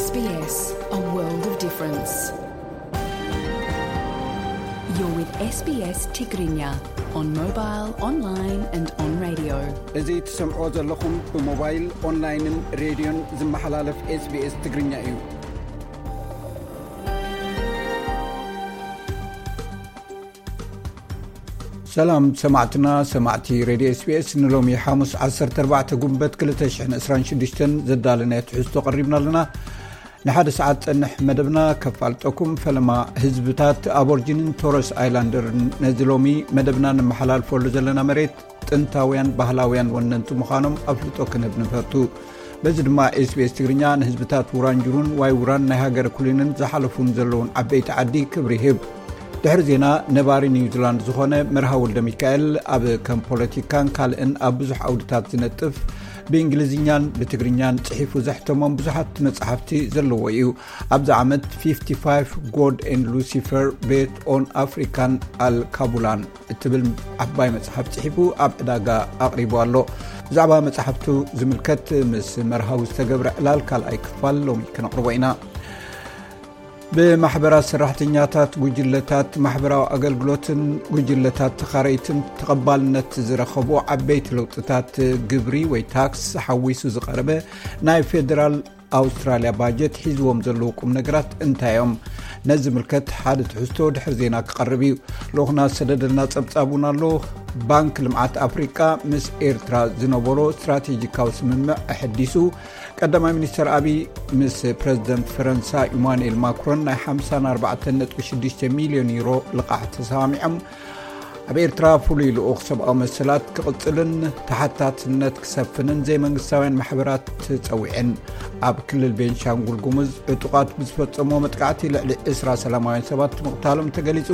S B S, a world of difference. You're with S B S Tigrinya on mobile, online and on radio. እዚ ትሰምዖ ዘለኹም ብሞባይል፣ ኦንላይንን ሬድዮን ዝመሓላለፍ S B S ትግርኛ እዩ። ሰላም ሰማዕትና፣ ሰማዕቲ ሬድዮ S B S፣ ንሎሚ ሓሙስ ዓሰርተ ኣርባዕተ ጉንበት ክልተ ሽሕን ዕስራን ሽዱሽተን ዘዳለናዮ ትሕዝቶ ቀሪብና ኣለና። ንሓደ ሰዓት ጸንሕ መደብና ከፋልጠኩም። ፈለማ ህዝብታት ኣቦርጂንን ቶረስ ኣይላንደርን ነዚ ሎሚ መደብና ነመሓላልፈሉ ዘለና መሬት ጥንታውያን ባህላውያን ወነንቲ ምዃኖም ኣፍልጦ ክንህብ ንፈቱ። በዚ ድማ S B S ትግርኛ ንህዝብታት ውራንጅሩን ዋይ ውራን ናይ ሃገረ ኩሊንን ዝሓለፉን ዘለውን ዓበይቲ ዓዲ ክብሪ ይህብ። ድሕሪ ዜና፣ ነባሪ ኒውዚላንድ ዝኾነ መርሃ ወልደ ሚካኤል ኣብ ከም ፖለቲካን ካልእን ኣብ ብዙሕ ዓውድታት ዝነጥፍ፣ ብእንግሊዝኛን ብትግርኛን ጽሒፉ ዘሕተሞም ብዙሓት መጻሕፍቲ ዘለዎ እዩ። ኣብዚ ዓመት fifty five God and Lucifer, Beth on African Al Kabulan እትብል ዓባይ መጽሓፍ ጽሒፉ ኣብ ዕዳጋ ኣቕሪቡ ኣሎ። ብዛዕባ መጽሓፍቱ ዝምልከት ምስ መርሃዊ ዝተገብረ ዕላል ካልኣይ ክፋል ሎሚ ክነቕርቦ ኢና። ብማሕበራት ሰራሕተኛታት፣ ጉጅለታት ማሕበራዊ ኣገልግሎትን ጉጅለታት ተኻረይትን ተቐባልነት ዝረኸቡ ዓበይቲ ለውጥታት ግብሪ ወይ ታክስ ሓዊሱ ዝቐረበ ናይ ፌደራል ኣውስትራልያ ባጀት ሒዝዎም ዘለዉ ቁም ነገራት እንታይ እዮም? ነዚ ዝምልከት ሓደ ትሕዝቶ ድሕሪ ዜና ክቐርብ እዩ። ልኡኽና ዝሰደደልና ጸብጻብ እውን ኣሎ። ባንክ ልምዓት ኣፍሪቃ ምስ ኤርትራ ዝነበሮ ስትራቴጂካዊ ስምምዕ ኣሐዲሱ። ቀዳማይ ሚኒስተር ኣቢይ ምስ ፕረዚደንት ፈረንሳ ኢማኑኤል ማክሮን ናይ ሓምሳን ኣርባዕተን ነጥቢ ሽዱሽተ ሚልዮን ዩሮ ልቓሕ ተሰማሚዖም። ኣብ ኤርትራ ፍሉይ ልኡኽ ሰብኣዊ መሰላት ክቕጽልን ተሓታትነት ክሰፍንን ዘይመንግስታውያን ማሕበራት ጸዊዐን። ኣብ ክልል ቤንሻንጉል ጉሙዝ ዕጡቓት ብዝፈጸሞ መጥቃዕቲ ልዕሊ ዕስራ ሰላማውያን ሰባት ምቕታሎም ተገሊጹ።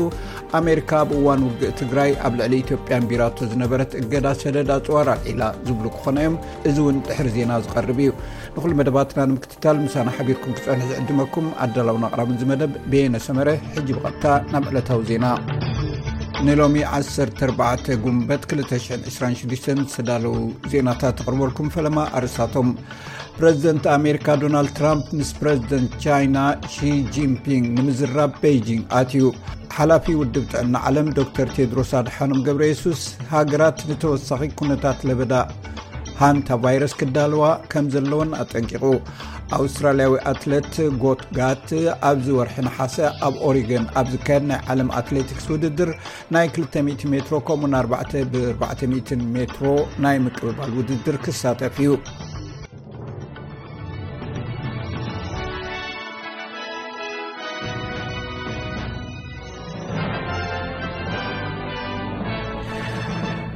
ኣሜሪካ ኣብ እዋን ውግእ ትግራይ ኣብ ልዕሊ ኢትዮጵያ ኣንቢራቶ ዝነበረት እገዳ ሰደድ ኣጽዋር ኣልዒላ ዝብሉ ክኾኑ እዮም። እዚ እውን ድሕሪ ዜና ዝቐርብ እዩ። ንኹሉ መደባትና ንምክትታል ምሳና ሓቢርኩም ክጸንሑ ዝዕድመኩም ኣዳላውን ኣቕራብን እዚ መደብ በየነ ሰመረ። ሕጂ ብቐጥታ ናብ ዕለታዊ ዜና። ንሎሚ ዓሰርተ ኣርባዕተ ጉንበት ክልተ ሽሕን ዕስራን ሽዱሽተን ዝተዳለዉ ዜናታት ተቕርበልኩም። ፈለማ ኣርእስታቶም። ፕረዚደንት ኣሜሪካ ዶናልድ ትራምፕ ምስ ፕረዚደንት ቻይና ሺ ጂንፒንግ ንምዝራብ ቤይጂንግ ኣትዩ። ሓላፊ ውድብ ጥዕና ዓለም ዶክተር ቴድሮስ ኣድሓኖም ገብረ የሱስ፣ ሃገራት ንተወሳኺ ኩነታት ለበዳ ሃንታ ቫይረስ ክዳለዋ ከም ዘለወን ኣጠንቂቑ። ኣውስትራልያዊ ኣትሌት ጎት ጋት ኣብዚ ወርሒ ነሓሰ ኣብ ኦሪገን ኣብ ዝካየድ ናይ ዓለም ኣትሌቲክስ ውድድር ናይ ክልተ ሚእቲ ሜትሮ ከምኡን ኣርባዕተ ብ ኣርባዕተ ሚእትን ሜትሮ ናይ ምቅብባል ውድድር ክሳተፍ እዩ።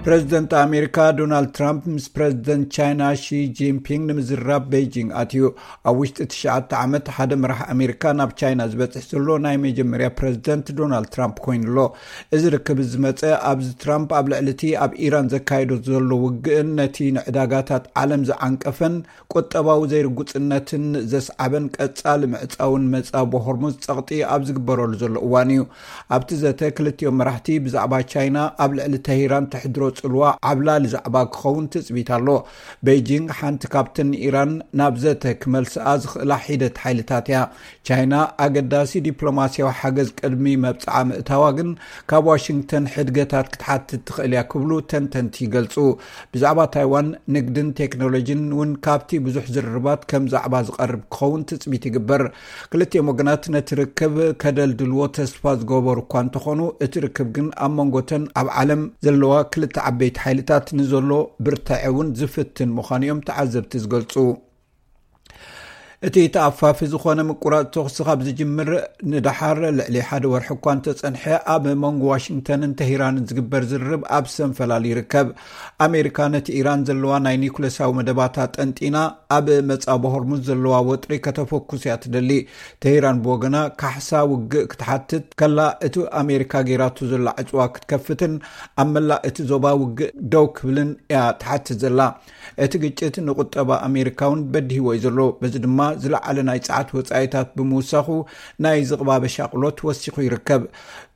ፕረዚደንት ኣሜሪካ ዶናልድ ትራምፕ ምስ ፕረዚደንት ቻይና ሺ ጂንፒንግ ንምዝራብ ቤይጂንግ ኣትዩ። ኣብ ውሽጢ ትሽዓተ ዓመት ሓደ መራሕ ኣሜሪካ ናብ ቻይና ዝበጽሕ ዘሎ ናይ መጀመርያ ፕረዚደንት ዶናልድ ትራምፕ ኮይኑ ኣሎ። እዚ ርክብ ዝመጸ ኣብዚ ትራምፕ ኣብ ልዕሊ እቲ ኣብ ኢራን ዘካየዶ ዘሎ ውግእን ነቲ ንዕዳጋታት ዓለም ዝዓንቀፈን ቁጠባዊ ዘይርጉጽነትን ዘስዓበን ቀጻሊ ምዕጻውን መጻብ ሆርሙዝ ጸቕጢ ኣብ ዝግበረሉ ዘሎ እዋን እዩ። ኣብቲ ዘተ ክልቲኦም መራሕቲ ብዛዕባ ቻይና ኣብ ልዕሊ ተሂራን ተሕድሮ ጽልዋ ዓብላሊ ዛዕባ ክኸውን ትጽቢት ኣሎ። ቤይጂንግ ሓንቲ ካብተን ንኢራን ናብ ዘተ ክመልስኣ ዝኽእላ ሒደት ሓይልታት እያ። ቻይና ኣገዳሲ ዲፕሎማስያዊ ሓገዝ ቅድሚ መብጽዓ ምእታዋ ግን ካብ ዋሽንግተን ሕድገታት ክትሓትት ትኽእል እያ ክብሉ ተንተንቲ ይገልጹ። ብዛዕባ ታይዋን ንግድን ቴክኖሎጂን እውን ካብቲ ብዙሕ ዝርርባት ከም ዛዕባ ዝቐርብ ክኸውን ትጽቢት ይግበር። ክልቲኦም ወገናት ነቲ ርክብ ከደልድልዎ ተስፋ ዝገበሩ እኳ እንተኾኑ፣ እቲ ርክብ ግን ኣብ መንጎተን ኣብ ዓለም ዘለዋ ክልተ ዓበይቲ ሓይልታት ንዘሎ ብርታዐ እውን ዝፍትን ምዃኑ እዮም ተዓዘብቲ ዝገልጹ። እቲ ተኣፋፊ ዝኾነ ምቁራጽ ተኹሲ ካብ ዝጅምር ንደሓር ልዕሊ ሓደ ወርሒ እኳ እንተጸንሐ፣ ኣብ መንጎ ዋሽንግተንን ተሂራንን ዝግበር ዝርርብ ኣብ ሰንፈላል ይርከብ። ኣሜሪካ ነቲ ኢራን ዘለዋ ናይ ኒኩለሳዊ መደባታ ጠንጢና፣ ኣብ መጻብ ሆርሙዝ ዘለዋ ወጥሪ ከተፈኩስ እያ ትደሊ። ተሂራን ብወገና ካሕሳ ውግእ ክትሓትት ከላ፣ እቲ ኣሜሪካ ገይራቶ ዘላ ዕጽዋ ክትከፍትን ኣብ መላእ እቲ ዞባ ውግእ ደው ክብልን እያ ትሓትት ዘላ። እቲ ግጭት ንቁጠባ ኣሜሪካ እውን በዲህዎ እዩ ዘሎ። በዚ ድማ ዝለዓለ ናይ ጸዓት ወጻኢታት ብምውሳኹ ናይ ዝቕባበ ሻቕሎት ወሲኹ ይርከብ።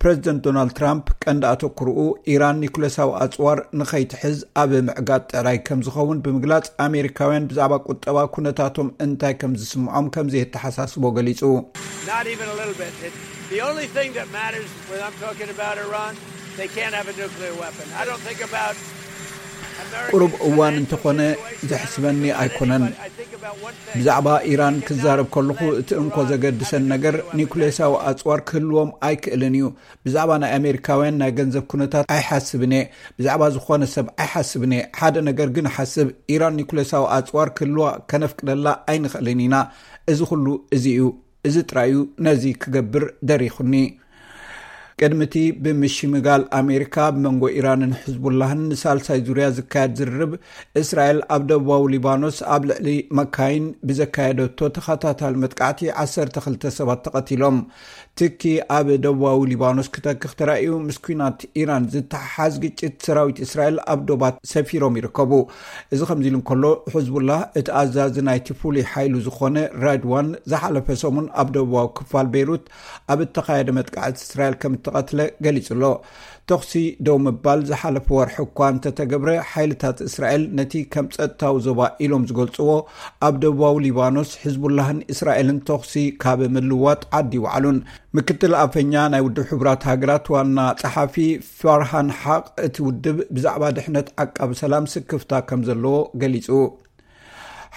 ፕረዚደንት ዶናልድ ትራምፕ ቀንዲ ኣተኩርኡ ኢራን ኒኩለሳዊ ኣጽዋር ንኸይትሕዝ ኣብ ምዕጋት ጥራይ ከም ዝኸውን ብምግላጽ፣ ኣሜሪካውያን ብዛዕባ ቁጠ ቁጠባ ኩነታቶም እንታይ ከም ዝስምዖም ከም ዘየተሓሳስቦ ገሊጹ። Not even a little bit. It, the only thing that matters when I'm talking about Iran, they can't have a nuclear weapon. I don't think about American ቁሩብ እዋን financial እንተኾነ situation. I don't ዘሕስበኒ think about ኣይኮነን። anything, but I think about one thing. ብዛዕባ ኢራን They cannot ክዛረብ ከለኹ let እቲ እንኮ Iran ዘገድሰን have a ነገር nuclear weapon. ኒኩሌሳዊ ኣጽዋር ክህልዎም ኣይክእልን እዩ። ብዛዕባ ናይ ኣሜሪካውያን ናይ ገንዘብ ኩነታት ኣይሓስብን እየ። ብዛዕባ ዝኾነ ሰብ ኣይሓስብን እየ። ሓደ ነገር ግን ሓስብ፣ ኢራን ኒኩሌሳዊ ኣጽዋር ክህልዋ ከነፍቅደላ ኣይንኽእልን ኢና። እዚ ኩሉ እዚ እዩ። እዚ ጥራይ እዩ ነዚ ክገብር ደሪኹኒ። ቅድሚ እቲ ብምሽምጋል ኣሜሪካ ኣብ መንጎ ኢራንን ሕዝቡላህን ንሳልሳይ ዙርያ ዝካየድ ዝርርብ፣ እስራኤል ኣብ ደቡባዊ ሊባኖስ ኣብ ልዕሊ መካይን ብዘካየደቶ ተኸታታሊ መጥቃዕቲ ዓሰርተ ክልተ ሰባት ተቐቲሎም። ትኪ ኣብ ደቡባዊ ሊባኖስ ክተክኽ ተራእዩ፣ ምስ ኲናት ኢራን ዝተሓሓዝ ግጭት ሰራዊት እስራኤል ኣብ ዶባት ሰፊሮም ይርከቡ። እዚ ከምዚ ኢሉ እንከሎ፣ ሕዝቡላህ እቲ ኣዛዚ ናይቲ ፍሉይ ሓይሉ ዝኾነ ራድዋን ዝሓለፈ ሰሙን ኣብ ደቡባዊ ክፋል ቤይሩት ኣብ እተኻየደ መጥቃዕቲ እስራኤል ከም እተቐትለ ገሊጹ ኣሎ። ተኹሲ ደው ምባል ዝሓለፈ ወርሒ እኳ እንተተገብረ፣ ሓይልታት እስራኤል ነቲ ከም ጸጥታዊ ዞባ ኢሎም ዝገልጽዎ ኣብ ደቡባዊ ሊባኖስ ሕዝቡላህን እስራኤልን ተኹሲ ካብ ምልዋጥ ዓዲ ይውዓሉን። ምክትል ኣፈኛ ናይ ውድብ ሕቡራት ሃገራት ዋና ጸሓፊ ፋርሃን ሓቅ፣ እቲ ውድብ ብዛዕባ ድሕነት ዓቃቢ ሰላም ስክፍታ ከም ዘለዎ ገሊጹ።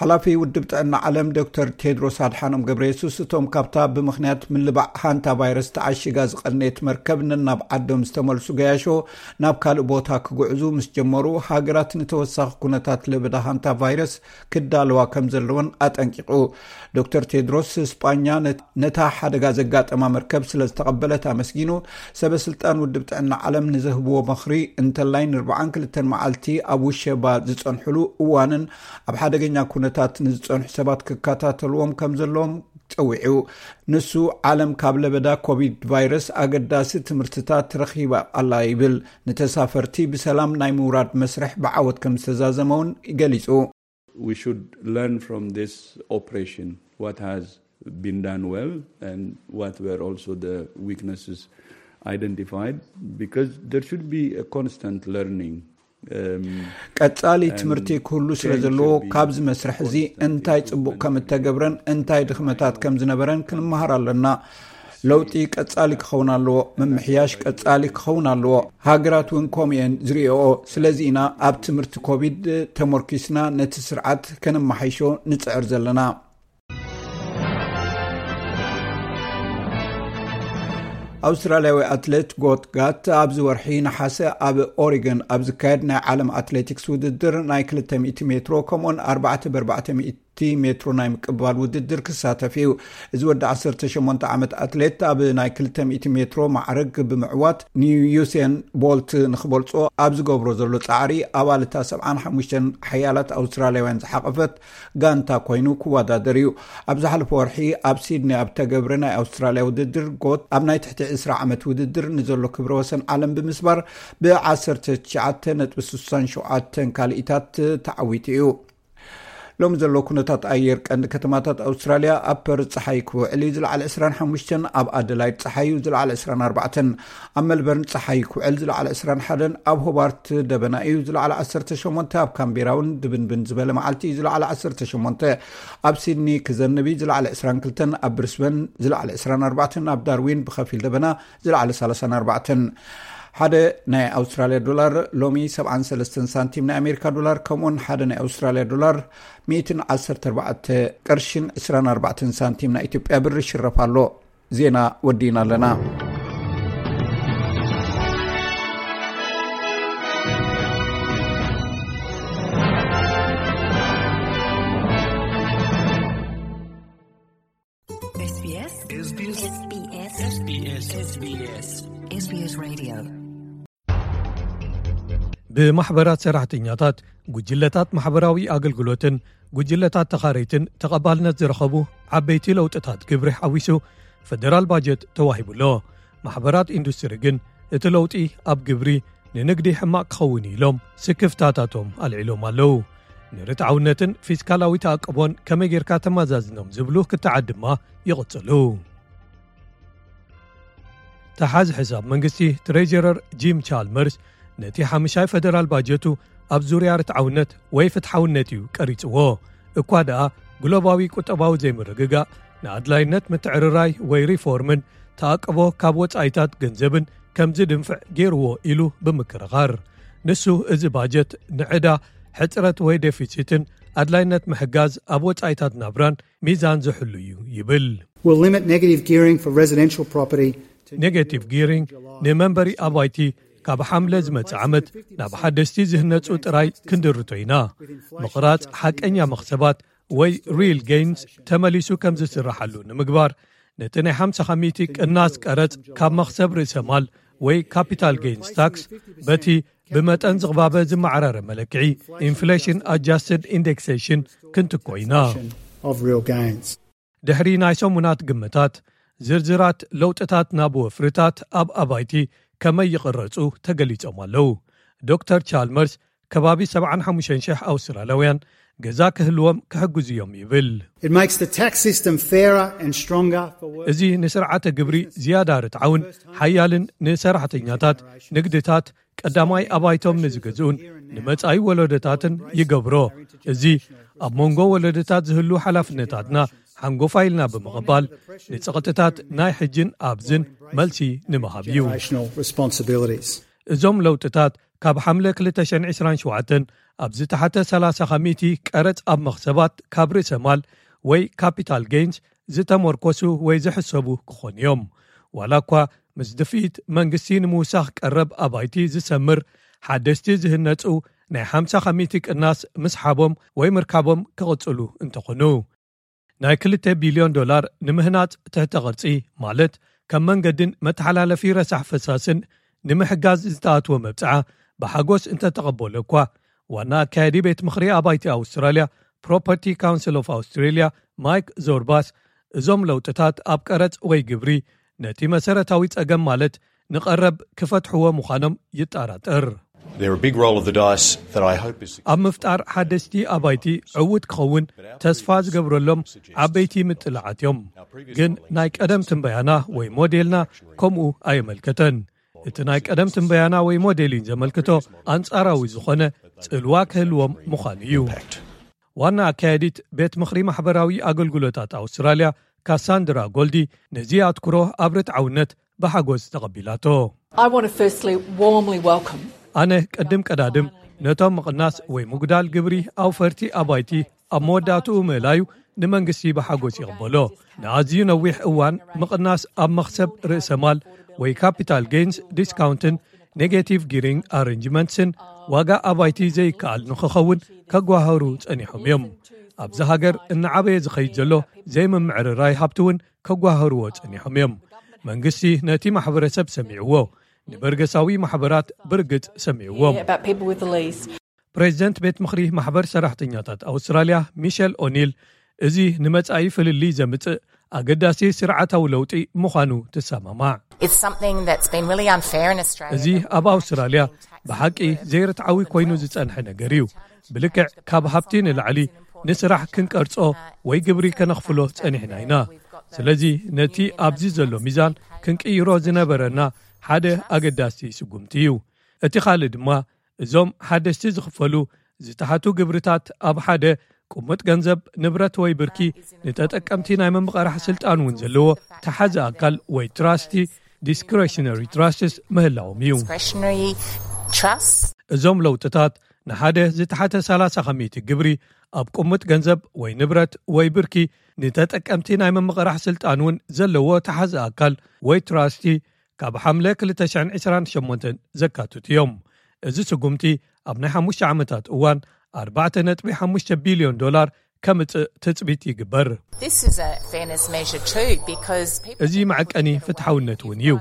ሓላፊ ውድብ ጥዕና ዓለም ዶክተር ቴድሮስ ኣድሓኖም ገብረ የሱስ፣ እቶም ካብታ ብምኽንያት ምልባዕ ሃንታ ቫይረስ ተዓሺጋ ዝቐነየት መርከብ ነናብ ዓዶም ዝተመልሱ ገያሾ ናብ ካልእ ቦታ ክጉዕዙ ምስ ጀመሩ፣ ሃገራት ንተወሳኺ ኩነታት ለበዳ ሃንታ ቫይረስ ክዳለዋ ከም ዘለወን ኣጠንቂቑ። ዶክተር ቴድሮስ፣ ስጳኛ ነት-፣ ነታ ሓደጋ ዘጋጠማ መርከብ ስለ ዝተቐበለት ኣመስጊኑ፣ ሰበ ስልጣን ውድብ ጥዕና ዓለም ንዝህብዎ ምኽሪ እንተላይ ንኣርብዓን ክልተን መዓልቲ ኣብ ውሸባ ዝጸንሕሉ እዋንን ኣብ ሓደገኛ ኩነታት ንዝጸንሑ ሰባት ክከታተልዎም ከም ዘለዎም ጸዊዑ። ንሱ፣ ዓለም ካብ ለበዳ ኮቪድ ቫይረስ ኣገዳሲ ትምህርትታት ረኺባ ኣላ ይብል። ንተሳፈርቲ ብሰላም ናይ ምውራድ መስርሕ ብዓወት ከም ዝተዛዘመ እውን ገሊጹ። We should learn from this operation what has been done well and what were also the weaknesses identified, because there should be a constant learning. Um, ቀጻሊ ትምህርቲ ክህሉ ስለ ዘለዎ፣ ካብዚ መስርሕ እዚ እንታይ ጽቡቕ ከም እተገብረን እንታይ ድኽመታት ከም ዝነበረን ክንመሃር ኣለና። ለውጢ ቀጻሊ ክኸውን ኣለዎ። ምምሕያሽ ቀጻሊ ክኸውን ኣለዎ። ሃገራት እውን ከምኡ እየን ዝርእኦ። ስለዚ ኢና ኣብ ትምህርቲ ኮቪድ ተመርኪስና ነቲ ስርዓት ከነመሓይሾ ንጽዕር ዘለና። ኣውስትራልያዊ ኣትሌት ጎት ጋት ኣብዚ ወርሒ ነሓሰ ኣብ ኦሪገን ኣብ ዝካየድ ናይ ዓለም ኣትሌቲክስ ውድድር ናይ ክልተ ሚእቲ ሜትሮ ከምኡውን ኣርባዕተ ብኣርባዕተ ሚእቲ ሜትሮ ናይ ምቅባል ውድድር ክሳተፍ እዩ። እዚ ወዲ ዓሰርተ ሸሞንተ ዓመት ኣትሌት ኣብ ናይ ክልተ ሚእቲ ሜትሮ ማዕረግ ብምዕዋት ንዩሴን ቦልት ንክበልጾ ኣብ ዝገብሮ ዘሎ ጻዕሪ ኣባል እታ ሰብዓን ሓሙሽተን ሓያላት ኣውስትራልያውያን ዝሓቐፈት ጋንታ ኮይኑ ክወዳደር እዩ። ኣብ ዝሓለፈ ወርሒ ኣብ ሲድኒ ኣብ ተገብረ ናይ ኣውስትራልያ ውድድር ጎት ኣብ ናይ ትሕቲ ዕስራ ዓመት ውድድር ንዘሎ ክብረ ወሰን ዓለም ብምስባር ብ ዓሰርተ ትሽዓተ ነጥቢ ስሳን ሸውዓተን ካልኢታት ተዓዊቱ እዩ። ሎሚ ዘሎ ኩነታት ኣየር ቀንዲ ከተማታት ኣውስትራልያ፣ ኣብ ፐርዝ ጸሓይ ክውዕል እዩ፣ ዝለዓለ ዕስራን ሓሙሽተን፣ ኣብ ኣደላይድ ጸሓይ እዩ፣ ዝለዓለ ዕስራን ኣርባዕተን፣ ኣብ ሜልበርን ጸሓይ ክውዕል፣ ዝለዓለ ዕስራን ሓደን፣ ኣብ ሆባርት ደበና እዩ፣ ዝለዓለ ዓሰርተ ሸሞንተ፣ ኣብ ካምቤራ እውን ድብንብን ዝበለ መዓልቲ እዩ፣ ዝለዓለ ዓሰርተ ሸሞንተ፣ ኣብ ሲድኒ ክዘንብ እዩ፣ ዝለዓለ ዕስራን ክልተን፣ ኣብ ብሪስበን ዝለዓለ ዕስራን ኣርባዕተን፣ ኣብ ዳርዊን ብኸፊል ደበና ዝለዓለ ሰላሳን ኣርባዕተን። ሓደ ናይ ኣውስትራልያ ዶላር ሎሚ ሰብዓን ሰለስተን ሳንቲም ናይ ኣሜሪካ ዶላር፣ ከምኡውን ሓደ ናይ ኣውስትራልያ ዶላር ሚእትን ዓሰርተ ኣርባዕተ ቅርሽን ዕስራን ኣርባዕተን ሳንቲም ናይ ኢትዮጵያ ብር ይሽረፍ ኣሎ። ዜና ወዲእና ኣለና። SBS SBS SBS SBS SBS Radio. ብማሕበራት ሰራሕተኛታት፣ ጉጅለታት ማሕበራዊ ኣገልግሎትን ጉጅለታት ተኻረይትን ተቐባልነት ዝረኸቡ ዓበይቲ ለውጥታት ግብሪ ሓዊሱ ፈደራል ባጀት ተዋሂቡ ኣሎ። ማሕበራት ኢንዱስትሪ ግን እቲ ለውጢ ኣብ ግብሪ ንንግዲ ሕማቕ ክኸውን እዩ ኢሎም ስክፍታታቶም ኣልዒሎም ኣለዉ። ንርትዓውነትን ፊስካላዊ ተኣቅቦን ከመይ ጌርካ ተመዛዝኖም ዝብሉ ክትዓት ድማ ይቕጽሉ። ተሓዚ ሕሳብ መንግስቲ ትሬጀረር ጂም ቻልመርስ ነቲ ሓምሻይ ፈደራል ባጀቱ ኣብ ዙርያ ርትዓውነት ወይ ፍትሓውነት እዩ ቀሪጽዎ። እኳ ደኣ ግሎባዊ ቁጠባዊ ዘይምርግጋእ ንኣድላይነት ምትዕርራይ ወይ ሪፎርምን ተኣቅቦ ካብ ወጻኢታት ገንዘብን ከም ዝድንፍዕ ገይርዎ ኢሉ ብምክርኻር፣ ንሱ እዚ ባጀት ንዕዳ፣ ሕጽረት ወይ ዴፊሲትን ኣድላይነት ምሕጋዝ ኣብ ወጻኢታት ናብራን ሚዛን ዝሕሉ እዩ ይብል። Will limit negative gearing for residential property. ኔጌቲቭ ጊሪንግ ንመንበሪ ኣባይቲ ካብ ሓምለ ዝመጽእ ዓመት ናብ ሓደስቲ ዝህነጹ ጥራይ ክንድርቶ ኢና። ምቕራጽ ሓቀኛ መኽሰባት ወይ ሪል ጌይንስ ተመሊሱ ከም ዝስራሓሉ ንምግባር፣ ነቲ ናይ ሓምሳ ሚእቲ ቅናስ ቀረጽ ካብ መኽሰብ ርእሰ ማል ወይ ካፒታል ጌይንስ ታክስ በቲ ብመጠን ዝቕባበ ዝመዓራረ መለክዒ ኢንፍሌሽን ኣጃስትድ ኢንዴክሴሽን ክንትኮ ኢና። Of real gains. ድሕሪ ናይ ሰሙናት ግምታት፣ ዝርዝራት ለውጥታት ናብ ወፍርታት ኣብ ኣባይቲ ከመይ ይቕረጹ ተገሊጾም ኣለዉ። ዶክተር ቻልመርስ፣ ከባቢ ሰብዓን ሓሙሽተን ሽሕ ኣውስትራልያውያን ገዛ ክህልዎም ክሕግዙ እዮም ይብል። It makes the tax system fairer and stronger for work. እዚ ንስርዓተ ግብሪ ዝያዳ ርትዓውን ሓያልን፣ ንሰራሕተኛታት፣ ንግድታት፣ ቀዳማይ ኣባይቶም ንዝገዝኡን ንመጻኢ ወለዶታትን ይገብሮ። እዚ ኣብ መንጎ ወለዶታት ዝህሉ ሓላፍነታትና ሓንጎፋ ኢልና ብምቕባል፣ ንጸቕጥታት ናይ ሕጅን ኣብዝን መልሲ ንምሃብ እዩ። Generational responsibilities. እዞም ለውጥታት ካብ ሓምለ ክልተ ሽሕን ዕስራን ሸውዓተን ኣብ ዝተሓተ ሰላሳ ከሚቲ ቀረጽ ኣብ መኽሰባት ካብ ርእሰ ማል ወይ ካፒታል ጌይንስ ዝተመርኮሱ ወይ ዝሕሰቡ ክኾኑ እዮም። ዋላ እኳ ምስ ድፍኢት መንግስቲ ንምውሳኽ ቀረብ ኣባይቲ ዝሰምር ሓደስቲ ዝህነጹ ናይ ሓምሳ ከሚቲ ቅናስ ምስሓቦም ወይ ምርካቦም ክቕጽሉ እንተኾኑ፣ ናይ ክልተ ቢልዮን ዶላር ንምህናጽ ትሕተ ቅርጺ፣ ማለት ከም መንገድን መተሓላለፊ ረሳሕ ፈሳስን ንምሕጋዝ ዝተኣትወ መብጽዓ ብሓጎስ እንተተቐበሎ እኳ፣ ዋና ኣካያዲ ቤት ምኽሪ ኣባይቲ ኣውስትራልያ ፕሮፐርቲ ካውንስል ኦፍ ኣውስትራልያ ማይክ ዞርባስ፣ እዞም ለውጥታት ኣብ ቀረጽ ወይ ግብሪ ነቲ መሰረታዊ ጸገም፣ ማለት ንቐረብ፣ ክፈትሕዎ ምዃኖም ይጠራጠር። They're a big roll of the dice that I hope is ኣብ ምፍጣር ሓደስቲ ኣባይቲ ዕዉት ክኸውን ተስፋ ዝገብረሎም ዓበይቲ ምጥላዓት እዮም። ግን ናይ ቀደም ትንበያና ወይ ሞዴልና ከምኡ ኣየመልከተን። እቲ ናይ ቀደም ትንበያና ወይ ሞዴሊን ዘመልክቶ ኣንጻራዊ ዝኾነ ጽልዋ ክህልዎም ምዃኑ እዩ። ዋና ኣካያዲት ቤት ምኽሪ ማሕበራዊ ኣገልግሎታት ኣውስትራልያ ካሳንድራ ጎልዲ፣ ነዚ ኣትኩሮ ኣብ ርትዓውነት ብሓጎስ ተቐቢላቶ። I want to firstly warmly welcome. ኣነ ቅድም ቀዳድም ነቶም ምቕናስ ወይ ምጉዳል ግብሪ ኣውፈርቲ ኣባይቲ ኣብ መወዳእትኡ ምእላዩ ንመንግስቲ ብሓጎስ ይቕበሎ። ንኣዝዩ ነዊሕ እዋን ምቕናስ ኣብ መኽሰብ ርእሰ ማል ወይ ካፒታል ጌይንስ ዲስካውንትን ኔጌቲቭ ጊሪንግ ኣረንጅመንትስን ዋጋ ኣባይቲ ዘይከኣል ንኽኸውን ከጓህሩ ጸኒሖም እዮም። ኣብዚ ሃገር እናዓበየ ዝኸይድ ዘሎ ዘይምምዕርራይ ሃብቲ እውን ከጓህርዎ ጸኒሖም እዮም። መንግስቲ ነቲ ማሕበረሰብ ሰሚዕዎ፣ ንበርገሳዊ ማሕበራት ብርግጽ ሰሚዕዎም። About people with the least. ፕሬዚደንት ቤት ምኽሪ ማሕበር ሰራሕተኛታት ኣውስትራልያ ሚሸል ኦኒል፣ እዚ ንመጻኢ ፍልልይ ዘምጽእ ኣገዳሲ ስርዓታዊ ለውጢ ምዃኑ ትሰማማዕ። It's something that's been really unfair in Australia. እዚ ኣብ ኣውስትራልያ ብሓቂ ዘይርትዓዊ ኮይኑ ዝጸንሐ ነገር እዩ። ብልክዕ ካብ ሃብቲ ንላዕሊ ንስራሕ ክንቀርጾ ወይ ግብሪ ከነኽፍሎ ጸኒሕና ኢና። ስለዚ ነቲ ኣብዚ ዘሎ ሚዛን ክንቅይሮ ዝነበረና ሓደ ኣገዳሲ ስጉምቲ እዩ። እቲ ካልእ ድማ እዞም ሓደስቲ ዝኽፈሉ ዝተሓቱ ግብርታት ኣብ ሓደ ቅሙጥ ገንዘብ፣ ንብረት ወይ ብርኪ ንተጠቀምቲ ናይ ምምቕራሕ ስልጣን እውን ዘለዎ ተሓዚ ኣካል ወይ ትራስቲ፣ ዲስክሬሽነሪ ትራስትስ፣ ምህላዎም እዩ። Discretionary trust. እዞም ለውጥታት ንሓደ ዝተሓተ ሰላሳ ከሚቲ ግብሪ ኣብ ቅሙጥ ገንዘብ ወይ ንብረት ወይ ብርኪ ንተጠቀምቲ ናይ ምምቕራሕ ስልጣን እውን ዘለዎ ተሓዚ ኣካል ወይ ትራስቲ ካብ ሓምለ ክልተ ሽሕን ዕስራን ሸሞንተን ዘካትቱ እዮም። እዚ ስጉምቲ ኣብ ናይ ሓሙሽተ ዓመታት እዋን ኣርባዕተ ነጥቢ ሓሙሽተ ቢልዮን ዶላር ከምጽእ ትጽቢት ይግበር። This is a fairness measure too because people እዚ መዐቀኒ ፍትሓውነት እውን እዩ።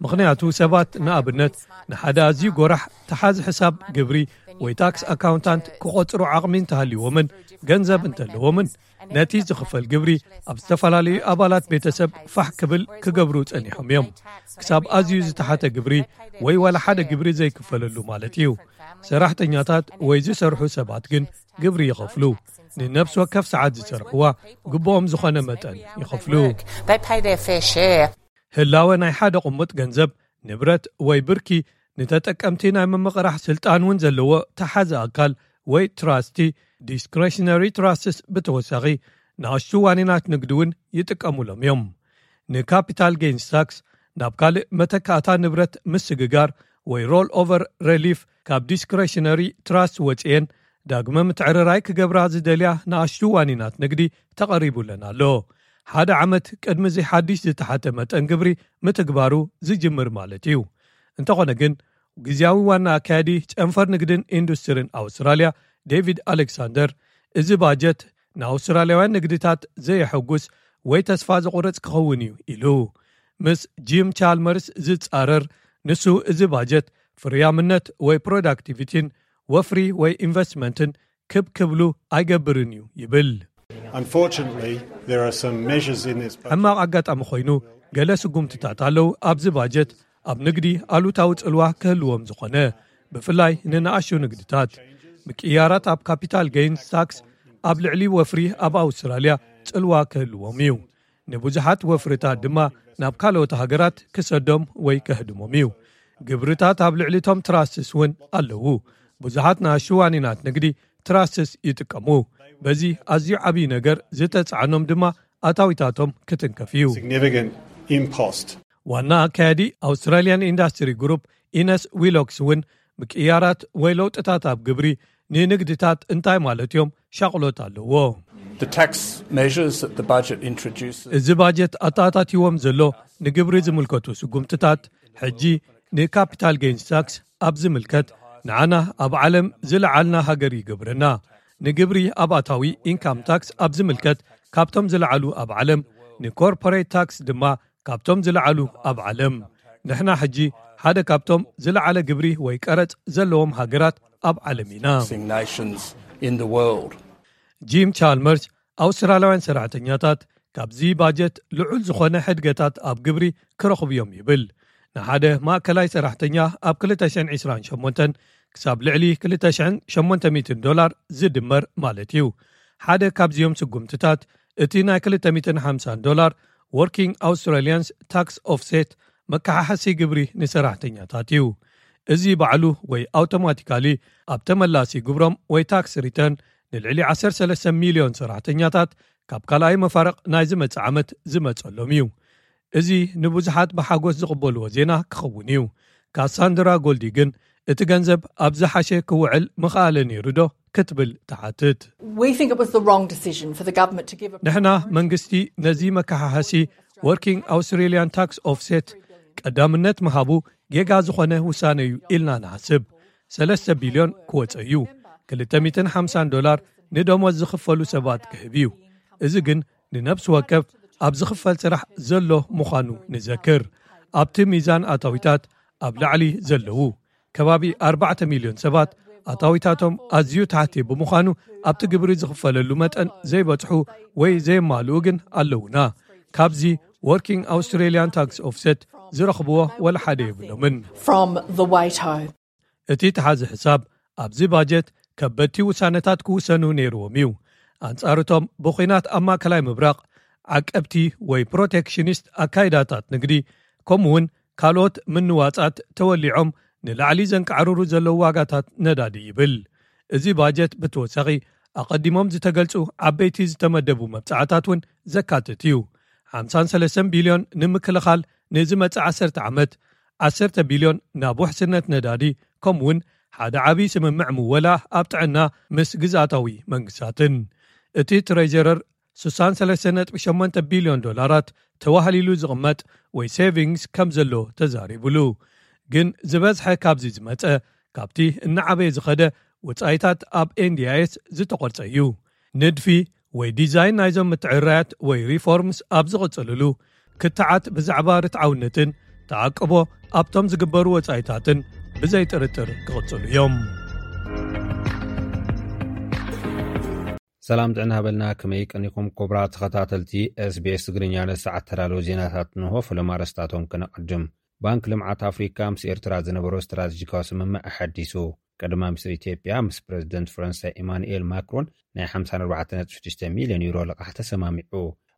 ምኽንያቱ ሰባት ንኣብነት ንሓደ ኣዝዩ ጎራሕ ተሓዚ ሕሳብ ግብሪ ወይ ታክስ ኣካውንታንት ክቖጽሩ ዓቕሚ እንተሃልይዎምን ገንዘብ እንተለዎምን ነቲ ዝኽፈል ግብሪ ኣብ ዝተፈላለዩ ኣባላት ቤተሰብ ፋሕ ክብል ክገብሩ ጸኒሖም እዮም። ክሳብ ኣዝዩ ዝተሓተ ግብሪ ወይ ዋላ ሓደ ግብሪ ዘይክፈለሉ ማለት እዩ። ሰራሕተኛታት ወይ ዝሰርሑ ሰባት ግን ግብሪ ይኸፍሉ። ንነፍሲ ወከፍ ሰዓት ዝሰርሕዋ ግብኦም ዝኾነ መጠን ይኸፍሉ። They pay their fair share. ህላወ ናይ ሓደ ቅሙጥ ገንዘብ፣ ንብረት ወይ ብርኪ ንተጠቀምቲ ናይ ምምቕራሕ ስልጣን እውን ዘለዎ ተሓዚ ኣካል ወይ ትራስቲ፣ ዲስክሬሽነሪ ትራስትስ ብተወሳኺ ንኣሽቱ ዋኒናት ንግዲ እውን ይጥቀሙሎም እዮም። ንካፒታል ጌንስ ታክስ ናብ ካልእ መተካእታ ንብረት ምስግጋር ወይ ሮል ኦቨር ሬሊፍ ካብ ዲስክሬሽነሪ ትራስት ወፅኤን ዳግመ ምትዕርራይ ክገብራ ዝደልያ ንኣሽቱ ዋኒናት ንግዲ ተቐሪቡለን ኣሎ። ሓደ ዓመት ቅድሚ እዚ ሓድሽ ዝተሓተ መጠን ግብሪ ምትግባሩ ዝጅምር ማለት እዩ። እንተኾነ ግን፣ ግዝያዊ ዋና ኣካያዲ ጨንፈር ንግድን ኢንዱስትሪን ኣውስትራልያ ዴቪድ ኣሌክሳንደር፣ እዚ ባጀት ንኣውስትራልያውያን ንግድታት ዘየሐጉስ ወይ ተስፋ ዘቑርጽ ክኸውን እዩ ኢሉ። ምስ ጂም ቻልመርስ ዝጻረር፣ ንሱ እዚ ባጀት ፍርያምነት ወይ ፕሮዳክቲቪቲን ወፍሪ ወይ ኢንቨስትመንትን ክብ ክብሉ ኣይገብርን እዩ ይብል። Unfortunately, there are some measures in this budget. ሕማቕ ኣጋጣሚ ኮይኑ፣ ገለ ስጉምትታት ኣለዉ ኣብዚ ባጀት ኣብ ንግዲ ኣሉታዊ ጽልዋ ክህልዎም ዝኾነ፣ ብፍላይ ንንኣሽቱ ንግድታት። ምቅያራት ኣብ ካፒታል ጌይንስ ታክስ ኣብ ልዕሊ ወፍሪ ኣብ ኣውስትራልያ ጽልዋ ክህልዎም እዩ። ንብዙሓት ወፍርታት ድማ ናብ ካልኦት ሃገራት ክሰዶም ወይ ከህድሞም እዩ። ግብርታት ኣብ ልዕሊቶም ትራስትስ እውን ኣለዉ። ብዙሓት ንኣሽቱ ዋኒናት ንግዲ ትራስትስ ይጥቀሙ። በዚ ኣዝዩ ዓብዪ ነገር ዝተጻዕኖም ድማ ኣታዊታቶም ክትንከፍ እዩ። Significant impost. ዋና ኣካያዲ ኣውስትራልያን ኢንዳስትሪ ግሩፕ ኢነስ ዊሎክስ እውን፣ ምቅያራት ወይ ለውጥታት ኣብ ግብሪ ንንግድታት እንታይ ማለት እዮም ሻቕሎት ኣለዎ። The tax measures that the budget introduces. እዚ ባጀት ኣተኣታትይዎም ዘሎ ንግብሪ ዝምልከቱ ስጉምትታት፣ ሕጂ ንካፒታል ጌንስ ታክስ ኣብ ዝምልከት፣ ንዓና ኣብ ዓለም ዝለዓልና ሃገር ይገብረና። ንግብሪ ኣብ ኣታዊ ኢንካም ታክስ ኣብ ዝምልከት፣ ካብቶም ዝለዓሉ ኣብ ዓለም፣ ንኮርፖሬት ታክስ ድማ ካብቶም ዝለዓሉ ኣብ ዓለም። ንሕና ሕጂ ሓደ ካብቶም ዝለዓለ ግብሪ ወይ ቀረጽ ዘለዎም ሃገራት ኣብ ዓለም ኢና። Nations in the world. ጂም ቻልመርስ፣ ኣውስትራልያውያን ሰራሕተኛታት ካብዚ ባጀት ልዑል ዝኾነ ሕድገታት ኣብ ግብሪ ክረኽቡ እዮም ይብል። ንሓደ ማእከላይ ሰራሕተኛ ኣብ ክልተ ሽሕን ዕስራን ሸሞንተን ክሳብ ልዕሊ ክልተ ሽሕን ሸሞንተ ሚእትን ዶላር ዝድመር ማለት እዩ። ሓደ ካብዚኦም ስጉምትታት፣ እቲ ናይ ክልተ ሚእትን ሓምሳን ዶላር Working Australians Tax Offset መከሓሓሲ ግብሪ ንሰራሕተኛታት እዩ። እዚ ባዕሉ ወይ ኣውቶማቲካሊ ኣብ ተመላሲ ግብሮም ወይ ታክስ ሪተርን ንልዕሊ ዓሰርተ ሰለስተ ሚልዮን ሰራሕተኛታት ካብ ካልኣይ መፋርቕ ናይ ዝመጽእ ዓመት ዝመጸሎም እዩ። እዚ ንብዙሓት ብሓጎስ ዝቕበልዎ ዜና ክኸውን እዩ። ካሳንድራ ጎልዲ ግን፣ እቲ ገንዘብ ኣብ ዝሓሸ ክውዕል ምኽኣለ ነይሩ ዶ ክትብል ትሓትት። We think it was the wrong decision for the government to give a ንሕና መንግስቲ ነዚ መከሓሓሲ Working Australian Tax Offset ቀዳምነት ምሃቡ ጌጋ ዝኾነ ውሳነ እዩ ኢልና ንሓስብ። ሰለስተ ቢልዮን ክወፀ እዩ። ክልተ ሚእትን ሓምሳን ዶላር ንደሞዝ ዝኽፈሉ ሰባት ክህብ እዩ። እዚ ግን ንነብሲ ወከፍ ኣብ ዝኽፈል ስራሕ ዘሎ ምዃኑ ንዘክር። ኣብቲ ሚዛን ኣታዊታት ኣብ ላዕሊ ዘለዉ ከባቢ ኣርባዕተ ሚልዮን ሰባት ኣታዊታቶም ኣዝዩ ታሕቲ ብምዃኑ፣ ኣብቲ ግብሪ ዝኽፈለሉ መጠን ዘይበጽሑ ወይ ዘየማልኡ ግን ኣለዉና። ካብዚ Working Australian Tax Offset ዝረኽብዎ ወላ ሓደ የብሎምን። From the WATO. እቲ ተሓዚ ሕሳብ ኣብዚ ባጀት ከበድቲ ውሳነታት ክውሰኑ ነይርዎም እዩ። ኣንጻርቶም ብኹናት ኣብ ማእከላይ ምብራቕ ዓቀብቲ ወይ ፕሮቴክሽኒስት ኣካይዳታት ንግዲ፣ ከምኡውን ካልኦት ምንዋጻት ተወሊዖም ንላዕሊ ዘንቃዕርሩ ዘለዉ ዋጋታት ነዳዲ ይብል። እዚ ባጀት ብተወሳኺ ኣቐዲሞም ዝተገልጹ ዓበይቲ ዝተመደቡ መብጻዕታት እውን ዘካትት እዩ። ሓምሳን ሰለስተን ቢልዮን ንምክልኻል ንዝመጽእ ዓሰርተ ዓመት፣ ዓሰርተ ቢልዮን ናብ ውሕስነት ነዳዲ፣ ከምኡውን ሓደ ዓብዪ ስምምዕ ምወላ ኣብ ጥዕና ምስ ግዝኣታዊ መንግስታትን። እቲ ትሬጀረር ስሳን ሰለስተ ነጥቢ ሸሞንተ ቢልዮን ዶላራት ተዋህሊሉ ዝቕመጥ ወይ ሴቪንግስ ከም ዘሎ ተዛሪቡሉ። ግን ዝበዝሐ ካብዚ ዝመጸ ካብቲ እናዓበየ ዝኸደ ወጻኢታት ኣብ ኤንዲኣይኤስ ዝተቖርጸ እዩ። ንድፊ ወይ ዲዛይን ናይዞም ምትዕርራያት ወይ ሪፎርምስ ኣብ ዝቕጽልሉ ክትዓት ብዛዕባ ርትዓውነትን ተዓቅቦ ኣብቶም ዝግበሩ ወጻኢታትን ብዘይጥርጥር ክቕጽሉ እዮም። ሰላም ጥዕና ሃበልና። ከመይ ቀኒኹም ክቡራት ተኸታተልቲ ኤስቢኤስ ትግርኛ? ነዚ ሰዓት ተዳለዉ ዜናታት እንሆ። ፈለማ ኣርእስታቶም ከነቐድም። ባንክ ልምዓት ኣፍሪካ ምስ ኤርትራ ዝነበሮ ስትራቴጂካዊ ስምምዕ ኣሐዲሱ። ቀዳማይ ሚኒስትር ኢትዮጵያ ምስ ፕረዚደንት ፈረንሳይ ኢማኑኤል ማክሮን ናይ ሓምሳን ኣርባዕተን ነጥቢ ሽዱሽተ ሚልዮን ዩሮ ልቓሕ ተሰማሚዑ።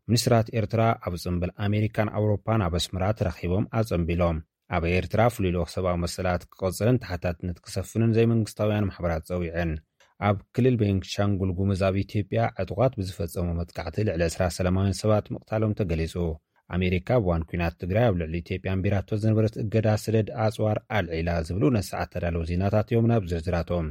ሚኒስትራት ኤርትራ ኣብ ጽምብል ኣሜሪካን ኣውሮፓን ኣብ ኣስመራ ተራኺቦም ኣጸንቢሎም። ኣብ ኤርትራ ፍሉይ ልኡኽ ሰብኣዊ መሰላት ክቐጽልን ተሓታትነት ክሰፍንን ዘይመንግስታውያን ማሕበራት ጸዊዐን። ኣብ ክልል ቤንሻንጉል ጉሙዝ ኣብ ኢትዮጵያ ዕጡቓት ብዝፈጸሞ መጥቃዕቲ ልዕሊ ዕስራ ሰላማውያን ሰባት ምቕታሎም ተገሊጹ። ኣሜሪካ ኣብ እዋን ኲናት ትግራይ ኣብ ልዕሊ ኢትዮጵያ ኣንቢራቶ ዝነበረት እገዳ ሰደድ ኣጽዋር ኣልዒላ ዝብሉ ነሰዓት ተዳለዉ ዜናታት እዮም። ናብ ዝርዝራቶም።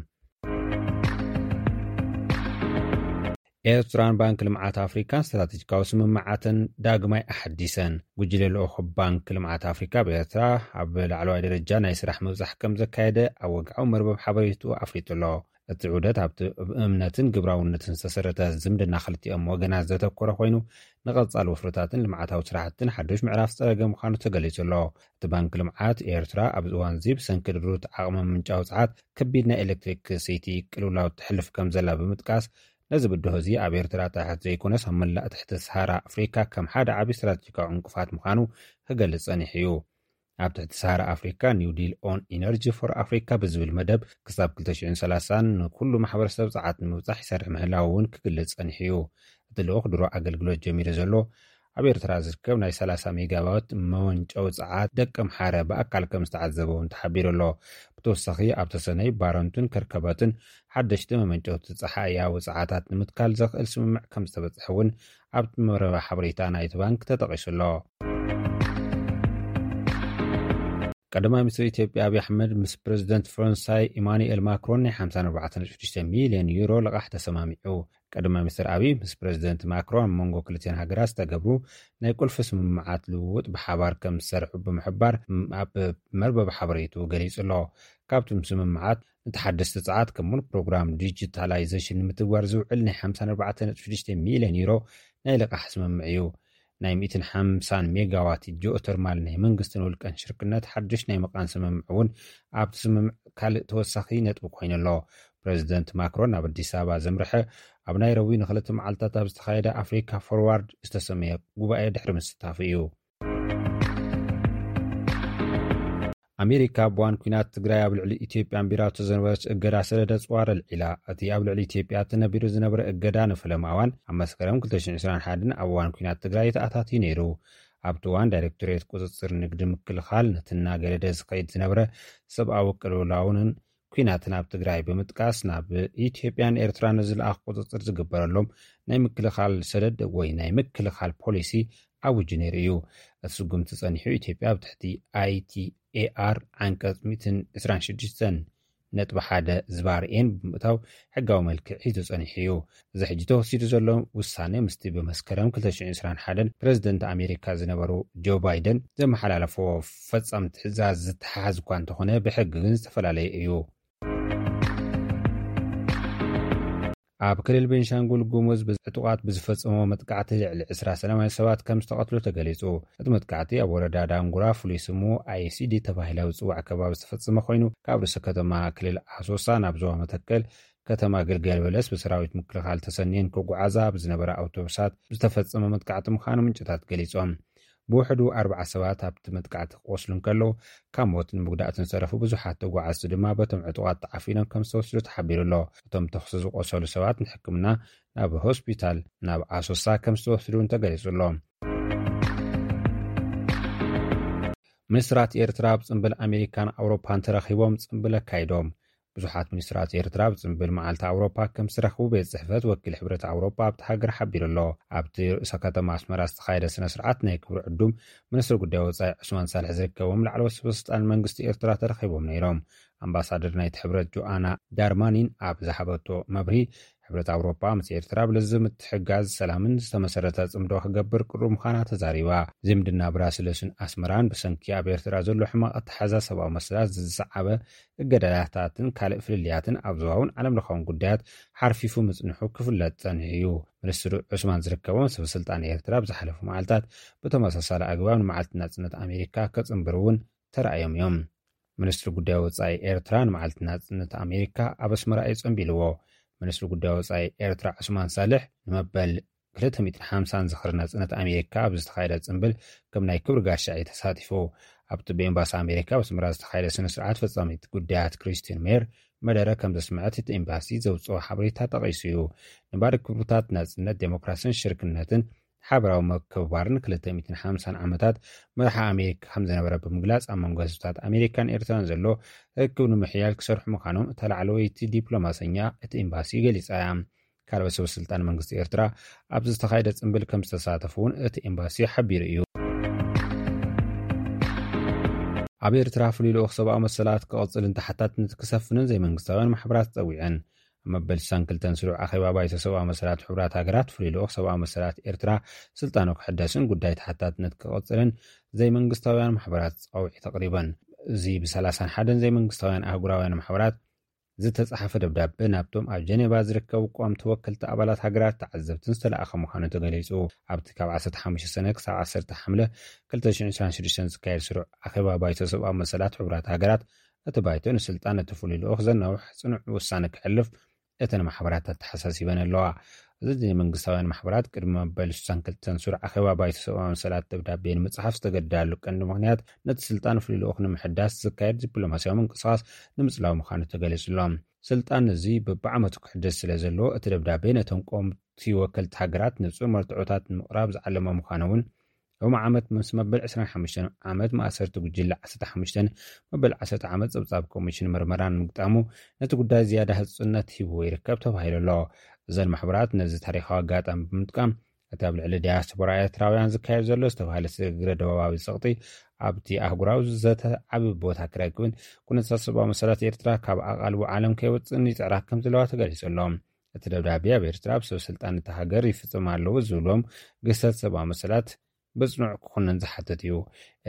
ኤርትራን ባንክ ልምዓት ኣፍሪካን ስትራቴጂካዊ ስምምዓተን ዳግማይ ኣሓዲሰን። ጉጅለ ልኡኽ ባንክ ልምዓት ኣፍሪካ ኣብ ኤርትራ ኣብ ላዕለዋይ ደረጃ ናይ ስራሕ ምብጻሕ ከም ዘካየደ ኣብ ወግዓዊ መርበብ ሓበሬቱ ኣፍሊጡ ኣሎ። እቲ ዑደት ኣብቲ እምነትን ግብራውነትን ዝተሰረተ ዝምድና ክልቲኦም ወገናት ዘተኮረ ኮይኑ፣ ንቐጻሊ ወፍርታትን ልምዓታዊ ስራሕትን ሓድሽ ምዕራፍ ዝጸረገ ምዃኑ ተገሊጹ ኣሎ። እቲ ባንክ ልምዓት ኤርትራ ኣብዚ እዋን እዚ ብሰንኪ ድሩት ዓቕሚ ምንጫዊ ጸዓት ከቢድ ናይ ኤሌክትሪክ ሰይቲ ቅልውላው ተሕልፍ ከም ዘላ ብምጥቃስ፣ ነዚ ብድሆ እዚ ኣብ ኤርትራ ጥራሕ ዘይኮነስ ኣብ መላእ ትሕቲ ሰሃራ ኣፍሪካ ከም ሓደ ዓቢ ስትራቴጂካዊ ዕንቅፋት ምዃኑ ክገልጽ ጸኒሑ እዩ። ኣብ ትሕቲ ሰሃራ ኣፍሪካ New Deal on Energy for Africa ብዝብል መደብ ክሳብ ክልተ ሽሕን ሰላሳን ንኩሉ ማሕበረሰብ ጸዓት ንምብጻሕ ይሰርሕ ምህላው እውን ክግልጽ ጸኒሑ እዩ። እቲ ልኡኽ ድሮ ኣገልግሎት ጀሚሩ ዘሎ ኣብ ኤርትራ ዝርከብ ናይ ሰላሳ ሜጋዋት መወንጨዊ ጸዓት ደቀምሓረ ብኣካል ከም ዝተዓዘበ እውን ተሓቢሩ ኣሎ። ብተወሳኺ ኣብ ተሰነይ፣ ባረንቱን ከርከበትን ሓደሽቲ መመንጨውቲ ጸሓያዊ ጸዓታት ንምትካል ዘኽእል ስምምዕ ከም ዝተበጽሐ እውን ኣብቲ መረባ ሓበሬታ ናይቲ ባንክ ተጠቒሱ ኣሎ። ቀዳማይ ሚኒስትር ኢትዮጵያ ኣብይ ኣሕመድ ምስ ፕሬዚደንት ፈረንሳይ ኢማኑኤል ማክሮን ናይ ሓምሳ ኣርባዕተ ነጥቢ ሽዱሽተ ሚልዮን ዩሮ ልቓሕ ተሰማሚዑ። ቀዳማይ ሚኒስትር ኣብይ ምስ ፕሬዚደንት ማክሮን ኣብ መንጎ ክልቲኣን ሃገራት ዝተገብሩ ናይ ቁልፊ ስምምዓት ልውውጥ ብሓባር ከም ዝሰርሑ ብምሕባር፣ ኣብ መርበብ ሓበሬቱ ገሊጹ ኣሎ። ካብቶም ስምምዓት፣ ንተሓደስቲ ጸዓት ከምኡውን ፕሮግራም ዲጂታላይዜሽን ንምትግባር ዝውዕል ናይ ሓምሳ ኣርባዕተ ነጥቢ ሽዱሽተ ሚልዮን ዩሮ ናይ ልቓሕ ስምምዕ እዩ። ናይ ሚእትን ሓምሳን ሜጋዋት ጂኦተርማል ናይ መንግስትን ውልቀን ሽርክነት ሓድሽ ናይ ምቓን ስምምዕ እውን ኣብቲ ስምምዕ ካልእ ተወሳኺ ነጥቢ ኮይኑ ኣሎ። ፕሬዚደንት ማክሮን ናብ ኣዲስ ኣበባ ዘምርሐ ኣብ ናይሮቢ ንክልተ መዓልታት ኣብ ዝተኻየደ ኣፍሪካ ፎርዋርድ ዝተሰመየ ጉባኤ ድሕሪ ምስታፉ እዩ። ኣሜሪካ ኣብ እዋን ኲናት ትግራይ ኣብ ልዕሊ ኢትዮጵያ ኣንቢራቶ ዝነበረት እገዳ ሰደድ ኣጽዋር ኣልዒላ። እቲ ኣብ ልዕሊ ኢትዮጵያ ተነቢሩ ዝነበረ እገዳ ንፈለማ እዋን ኣብ መስከረም ክልተ ሽሕን ዕስራን ሓደን ኣብ እዋን ኲናት ትግራይ ተኣታትዩ ነይሩ። ኣብቲ እዋን ዳይሬክቶሬት ቁጽጽር ንግዲ ምክልኻል ነቲ እናገደደ ዝኸይድ ዝነበረ ሰብኣዊ ቅልውላውንን ኲናትን ኣብ ትግራይ ብምጥቃስ፣ ናብ ኢትዮጵያን ኤርትራን ንዝለኣኽ ቁጽጽር ዝግበረሎም ናይ ምክልኻል ሰደድ ወይ ናይ ምክልኻል ፖሊሲ ኣውጁ ነይሩ እዩ። እቲ ስጉምቲ ጸኒሑ፣ ኢትዮጵያ ኣብ ትሕቲ ኣይቲኤኣር ዓንቀጽ ሚእትን ዕስራን ሽዱሽተን ነጥቢ ሓደ ዝባር ኤን ብምእታው ሕጋዊ መልክዕ ሒዙ ጸኒሑ እዩ። እዚ ሕጂ ተወሲዱ ዘሎ ውሳነ ምስቲ ብመስከረም ክልተ ሽሕን ዕስራን ሓደን ፕሬዚደንት ኣሜሪካ ዝነበሩ ጆ ባይደን ዘመሓላለፎ ፈጻሚ ትእዛዝ ዝተሓሓዝ እኳ እንተኾነ፣ ብሕጊ ግን ዝተፈላለየ እዩ። ኣብ ክልል ቤንሻንጉል ጉሙዝ ዕጡቓት ብዝፈጸሞ መጥቃዕቲ ልዕሊ ዕስራ ሰላማውያን ሰባት ከም ዝተቐትሉ ተገሊጹ። እቲ መጥቃዕቲ ኣብ ወረዳ ዳንጉራ፣ ፍሉይ ስሙ ኣይሲዲ ተባሂሉ ኣብ ዝጽዋዕ ከባቢ ዝተፈጸመ ኮይኑ፣ ካብ ርእሰ ከተማ ክልል ኣሶሳ ናብ ዞባ መተከል ከተማ ግልገል በለስ ብሰራዊት ምክልኻል ተሰንየን ክጓዓዛ ኣብ ዝነበራ ኣውቶቡሳት ዝተፈጸመ መጥቃዕቲ ምዃኑ ምንጭታት ገሊጾም። ብውሕዱ ኣርባዓ ሰባት ኣብቲ መጥቃዕቲ ክቆስሉ እንከለዉ፣ ካብ ሞትን ምጉዳእትን ዝተረፉ ብዙሓት ተጓዓዝቲ ድማ በቶም ዕጡቓት ተዓፊኖም ከም ዝተወስዱ ተሓቢሩ ኣሎ። እቶም ተኹሲ ዝቆሰሉ ሰባት ንሕክምና ናብ ሆስፒታል ናብ ኣሶሳ ከም ዝተወስዱ እውን ተገሊጹ ኣሎ። ሚኒስትራት ኤርትራ ኣብ ጽምብል ኣሜሪካን ኣውሮፓን ተረኺቦም ጽምብል ኣካይዶም። ብዙሓት ሚኒስትራት ኤርትራ ኣብ ጽምብል መዓልቲ ኣውሮፓ ከም ዝተረኽቡ ቤት ጽሕፈት ወኪል ሕብረት ኣውሮፓ ኣብቲ ሃገር ሓቢሩ ኣሎ። ኣብቲ ርእሰ ከተማ ኣስመራ ዝተኻየደ ስነ ስርዓት ናይ ክብሪ ዕዱም ሚኒስትሪ ጉዳይ ወጻኢ ዑስማን ሳልሕ ዝርከቦም ላዕለዎት ሰበ ስልጣን መንግስቲ ኤርትራ ተረኺቦም ነይሮም። ኣምባሳደር ናይቲ ሕብረት ጆኣና ዳርማኒን ኣብ ዝሃበቶ መብርሂ፣ ሕብረት ኣውሮፓ ምስ ኤርትራ ኣብ ለዘብ ምትሕግጋዝ ሰላምን ዝተመሰረተ ጽምዶ ክገብር ቅሩብ ምዃና ተዛሪባ። ዝምድና ብራስለስን ኣስመራን ብሰንኪ ኣብ ኤርትራ ዘሎ ሕማቕ ኣተሓሕዛ ሰብኣዊ መሰላት ዝሰዓበ እገዳታትን ካልእ ፍልልያትን ኣብ ዞባውን ዓለም ለኻውን ጉዳያት ሓርፊፉ ምጽንሑ ክፍለጥ ጸኒሑ እዩ። ሚኒስትር ዑስማን ዝርከቦም ሰበ ስልጣን ኤርትራ ኣብ ዝሓለፉ መዓልታት ብተመሳሳሊ ኣግባብ ንመዓልቲ ናጽነት ኣሜሪካ ከጽንብሩ እውን ተራእዮም እዮም። ሚኒስትሪ ጉዳይ ወጻኢ ኤርትራ ንመዓልቲ ናጽነት ኣሜሪካ ኣብ ኣስመራ እዩ ጸንቢልዎ። ሚኒስትሪ ጉዳይ ወጻኢ ኤርትራ ዑስማን ሳልሕ ንመበል ክልተ ሚእትን ሓምሳን ዝኽሪ ናጽነት ኣሜሪካ ኣብ ዝተኻየደ ጽምብል ከም ናይ ክብሪ ጋሻ እዩ ተሳቲፉ። ኣብቲ ብኤምባሲ ኣሜሪካ ኣብ ኣስመራ ዝተኻየደ ስነ ስርዓት፣ ፈጻሚት ጉዳያት ክሪስቲን ሜየር መደረ ከም ዘስምዐት እቲ ኤምባሲ ዘውጽኦ ሓበሬታ ጠቒሱ እዩ። ንባሪ ክብርታት ናጽነት፣ ዴሞክራሲን ሽርክነትን ሓበራዊ ምክብባርን ክልተ ሚእትን ሓምሳን ዓመታት መርሓ ኣሜሪካ ከም ዝነበረ ብምግላጽ፣ ኣብ መንጎ ህዝብታት ኣሜሪካን ኤርትራን ዘሎ ርክብ ንምሕያል ክሰርሑ ምዃኖም እታ ላዕለወይቲ ዲፕሎማሰኛ እቲ ኤምባሲ ገሊጻ እያ። ካልኦት ሰበ ስልጣን መንግስቲ ኤርትራ ኣብዚ ዝተኻየደ ጽምብል ከም ዝተሳተፉ እውን እቲ ኤምባሲ ሓቢሩ እዩ። ኣብ ኤርትራ ፍሉይ ልኡኽ ሰብኣዊ መሰላት ክቕጽልን ተሓታትነት ክሰፍንን ዘይመንግስታውያን ማሕበራት ጸዊዐን። ኣብ መበል ስሳን ክልተን ስሩዕ ኣኼባ ባይቶ ሰብኣዊ መሰላት ሕቡራት ሃገራት፣ ፍሉይ ልኡኽ ሰብኣዊ መሰላት ኤርትራ ስልጣኑ ክሕደስን ጉዳይ ተሓታትነት ክቕጽልን ዘይመንግስታውያን ማሕበራት ጻውዒት ኣቕሪበን። እዚ ብ ሰላሳን ሓደን ዘይመንግስታውያን ኣህጉራውያን ማሕበራት ዝተጻሓፈ ደብዳበ ናብቶም ኣብ ጀኔቫ ዝርከቡ ቀዋምቲ ወከልቲ ኣባላት ሃገራት ተዓዘብትን ዝተለኣኸ ምዃኑ ተገሊጹ። ኣብቲ ካብ ዓሰርተ ሓሙሽተ ሰነ ክሳብ ዓሰርተ ሓምለ ክልተ ሽሕን ዕስራን ሽዱሽተን ዝካየድ ስሩዕ ኣኼባ ባይቶ ሰብኣዊ መሰላት ሕቡራት ሃገራት፣ እቲ ባይቶ ንስልጣን እቲ ፍሉይ ልኡኽ ዘናውሕ ጽኑዕ ውሳነ ክሕልፍ እተን ማሕበራት ኣተሓሳሲበን ኣለዋ። እዚ ናይ መንግስታውያን ማሕበራት ቅድሚ መበል ስሳን ክልተን ስሩዕ ኣኼባ ባይቶ ሰብኣዊ መሰላት ደብዳቤ ንምጽሓፍ ዝተገደዳሉ ቀንዲ ምኽንያት ነቲ ስልጣን ፍሉይ ልኡኽ ንምሕዳስ ዝካየድ ዲፕሎማስያዊ ምንቅስቓስ ንምጽላው ምዃኑ ተገሊጹ ኣሎ። ስልጣን እዚ በብዓመቱ ክሕደስ ስለ ዘለዎ፣ እቲ ደብዳቤ ነቶም ቀወምቲ ወከልቲ ሃገራት ንጹር መርትዖታት ንምቕራብ ዝዓለመ ምዃኑ እውን ሎሚ ዓመት ምስ መበል ዕስራን ሓሙሽተን ዓመት ማእሰርቲ ጉጅለ ዓሰርተ ሓሙሽተን መበል ዓሰርተ ዓመት ጸብጻብ ኮሚሽን ምርመራን ምግጣሙ ነቲ ጉዳይ ዝያዳ ህጹጽነት ሂብዎ ይርከብ ተባሂሉ ኣሎ። እዘን ማሕበራት ነዚ ታሪኻዊ ኣጋጣሚ ብምጥቃም፣ እቲ ኣብ ልዕሊ ዲያስፖራ ኤርትራውያን ዝካየድ ዘሎ ዝተባህለ ስግረ ደባባዊ ጸቕጢ ኣብቲ ኣህጉራዊ ዘተ ዓቢ ቦታ ክረክብን ኩነታት ሰብኣዊ መሰላት ኤርትራ ካብ ኣቓልቦ ዓለም ከይወጽእን ይጽዕራ ከም ዘለዋ ተገሊጹ ኣሎ። እቲ ደብዳቤ ኣብ ኤርትራ ኣብ ሰብ ስልጣን እታ ሃገር ይፍጽም ኣለዉ ዝብሎም ግህሰት ሰብኣዊ መሰላት ብጽኑዕ ክኹነን ዝሓትት እዩ።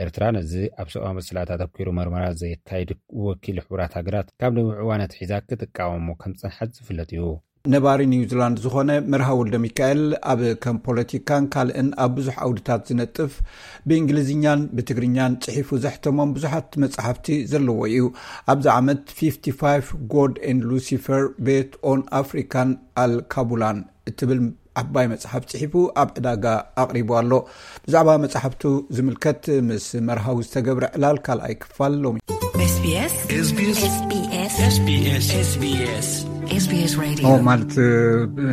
ኤርትራ ነዚ ኣብ ሰብኣዊ መሰላት ኣተኲሩ መርመራ ዘካይድ ወኪል ሕቡራት ሃገራት ካብ ነዊሕ እዋን ኣትሒዛ ክትቃወሞ ከም ዝጸንሐት ዝፍለጥ እዩ። ነባሪ ኒውዚላንድ ዝኾነ መርሃ ወልደ ሚካኤል ኣብ ከም ፖለቲካን ካልእን ኣብ ብዙሕ ዓውድታት ዝነጥፍ፣ ብእንግሊዝኛን ብትግርኛን ጽሒፉ ዘሕተሞም ብዙሓት መጻሕፍቲ ዘለዎ እዩ። ኣብዚ ዓመት ፊፍቲ ፋይቭ God and Lucifer Bet on African Al Kabulan እትብል ዓባይ መጽሓፍ ጽሒፉ ኣብ ዕዳጋ ኣቕሪቡ ኣሎ። ብዛዕባ መጽሓፍቱ ዝምልከት ምስ መርሃዊ ዝተገብረ ዕላል ካልኣይ ክፋል ሎሚ። SBS SBS SBS SBS SBS SBS Radio። ኦ፣ ማለት፣ እ፣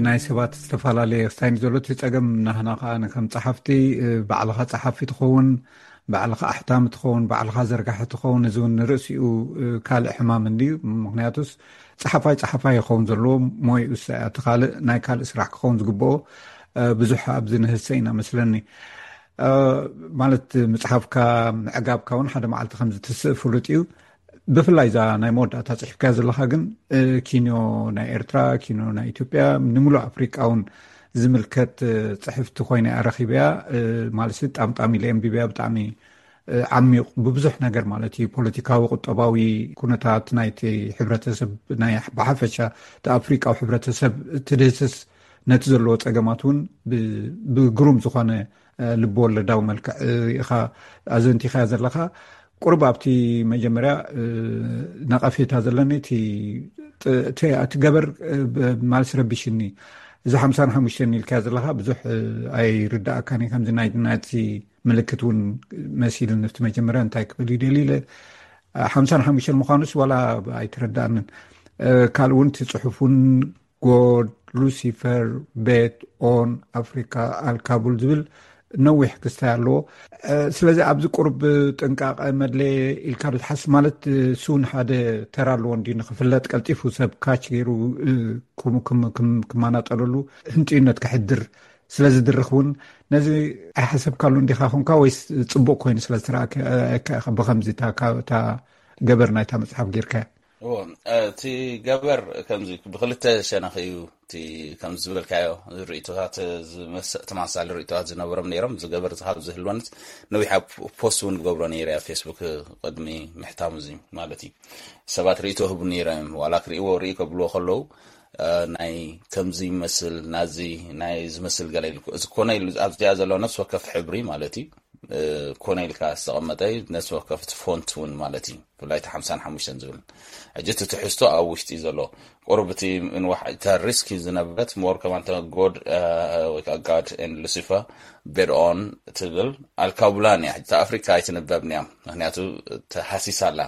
ናይ ሰባት ዝተፈላለየ ስታይል ዘሎ እቲ ጸገም፣ ናህና ከኣ ከም ጸሓፍቲ፣ እ፣ ባዕልኻ ጸሓፊ ትኸውን፣ ባዕልኻ ኣሕታሚ ትኸውን፣ ባዕልኻ ዘርጋሒ ትኸውን፣ እዚ እውን ንርእሲኡ፣ እ፣ ካልእ ሕማም እንድዩ። ምኽንያቱስ ጸሓፋይ ጸሓፋይ ይኸውን ዘለዎ፣ ሞይኡ ሰ-፣ እቲ ካልእ ናይ ካልእ ስራሕ ክኸውን ዝግብኦ፣ እ፣ ብዙሕ ኣብዚ ንህሰ ኢና መስለኒ። እ፣ ማለት ምጽሓፍካ ምዕጋብካ እውን ሓደ መዓልቲ ከም ዝትስእ ፍሉጥ እዩ። ብፍላይ እዛ ናይ መወዳእታ ጽሒፍካያ ዘለኻ ግን፣ እ፣ ኪንዮ ናይ ኤርትራ፣ ኪንዮ ናይ ኢትዮጵያ፣ ንምሉእ ኣፍሪቃ እውን ዝምልከት፣ እ፣ ጽሕፍቲ ኮይነ እያ ረኺበያ። እ፣ ማለትሲ ጣምጣም ኢለ ኣንቢበያ። ብጣዕሚ፣ እ፣ ዓሚቕ፣ ብብዙሕ ነገር ማለት እዩ፣ ፖለቲካዊ፣ ቁጠባዊ ኩነታት ናይቲ ሕብረተሰብ፣ ናይ ብሓፈሻ እቲ ኣፍሪቃዊ ሕብረተሰብ ትድህስስ፣ ነቲ ዘለዎ ጸገማት እውን ብ-፣ ብግሩም ዝኾነ፣ እ፣ ልቢ ወለዳዊ መልክዕ፣ እ፣ ኢኻ ኣዘንቲኻያ ዘለኻ። ቁሩብ ኣብቲ መጀመርያ፣ እ፣ ነቐፌታ ዘለኒ እቲ ጥ-፣ እቲ፣ እቲ ገበር፣ እ፣ ብ-፣ ማልስ ረቢሽኒ። እዚ ሓምሳን ሓሙሽተን ኢልካያ ዘለኻ ብዙሕ፣ እ፣ ኣይርዳእካን እዩ። ከምዚ ናይ፣ ናይቲ ምልክት እውን መሲሉ፣ ንፍቲ መጀመርያ እንታይ ክብል ይደሊ ኢለ፣ እ፣ ሓምሳን ሓሙሽተን ምዃኑስ ዋላ ኣይተረዳእንን። እ፣ ካልእ እውን እቲ ጽሑፍ እውን God, Lucifer Bet on Africa Al Kabul ዝብል ነዊሕ ክስታይ ኣለዎ። እ፣ ስለዚ ኣብዚ ቁሩብ ጥንቃቐ መድለየ ኢልካ ዶ ትሓስብ? ማለት፣ እ፣ እሱ እውን ሓደ ተራ ኣለዎ እንድዩ፣ ንኽፍለጥ ቀልጢፉ ሰብ ካች ገይሩ፣ እ፣ ክም-፣ ክም-፣ ክም-፣ ክመናጠለሉ ህንጥዩነት ከሕድር ስለ ዝድርኽ እውን ነዚ ኣይሓሰብካሉን ዲኻ ኾንካ ወይስ ጽቡቕ ኮይኑ ስለ ዝተረኣካ ኢኻ ብኸምዚ እታ፣ እታ ገበር ናይታ መጽሓፍ ጌርካያ? እዎ፣ እቲ ገበር ከምዚ ብክልተ ሸነኽ እዩ። እቲ ከምዚ ዝበልካዮ ርእይቶታት ዝመስ-፣ ተመሳሳሊ ርእይቶታት ዝነበሮም ነይሮም። እዚ ገበር ካብ ዝህልወንስ ነዊሕ ኣብ ፖስት እውን ዝገብሮ ነይረ ኣብ ፌስቡክ ቅድሚ ምሕታሙ እዚ ማለት እዩ። ሰባት ርእይቶ ህቡ ነይሮም እዮም። ዋላ ክርእይዎ ርእይ ከብልዎ ከለዉ፣ እ፣ ናይ ከምዚ ይመስል፣ ናዚ ናይ ዝመስል ገለ ኢሉ፣ እዚ ኮነ ኢሉ ኣብዚኣ ዘሎ ነፍሲ ወከፍ ሕብሪ ማለት እዩ። እ፣ ኮነ ኢልካ ዝተቐመጠ እዩ፣ ነፍሲ ወከፍ እቲ ፎንት እውን ማለት እዩ። ብፍላይ እቲ ሓምሳን ሓሙሽተን ዝብል። ሕጂ እቲ ትሕዝቶ ኣብ ውሽጢ ዘሎ ቁሩብ እቲ ምንዋሕ፣ እታ ሪስኪ ዝነበረት ሞር ከማን እታ ጎድ፣ እ፣ ወይ ከዓ ጋድ ኤንድ ሉሲፈር ቤድ ኦን ትብል ኣልካቡላን እያ። ሕጂ እታ ኣፍሪካ ኣይትንበብን እያ። ምክንያቱ ተሃሲሳ ኣላ።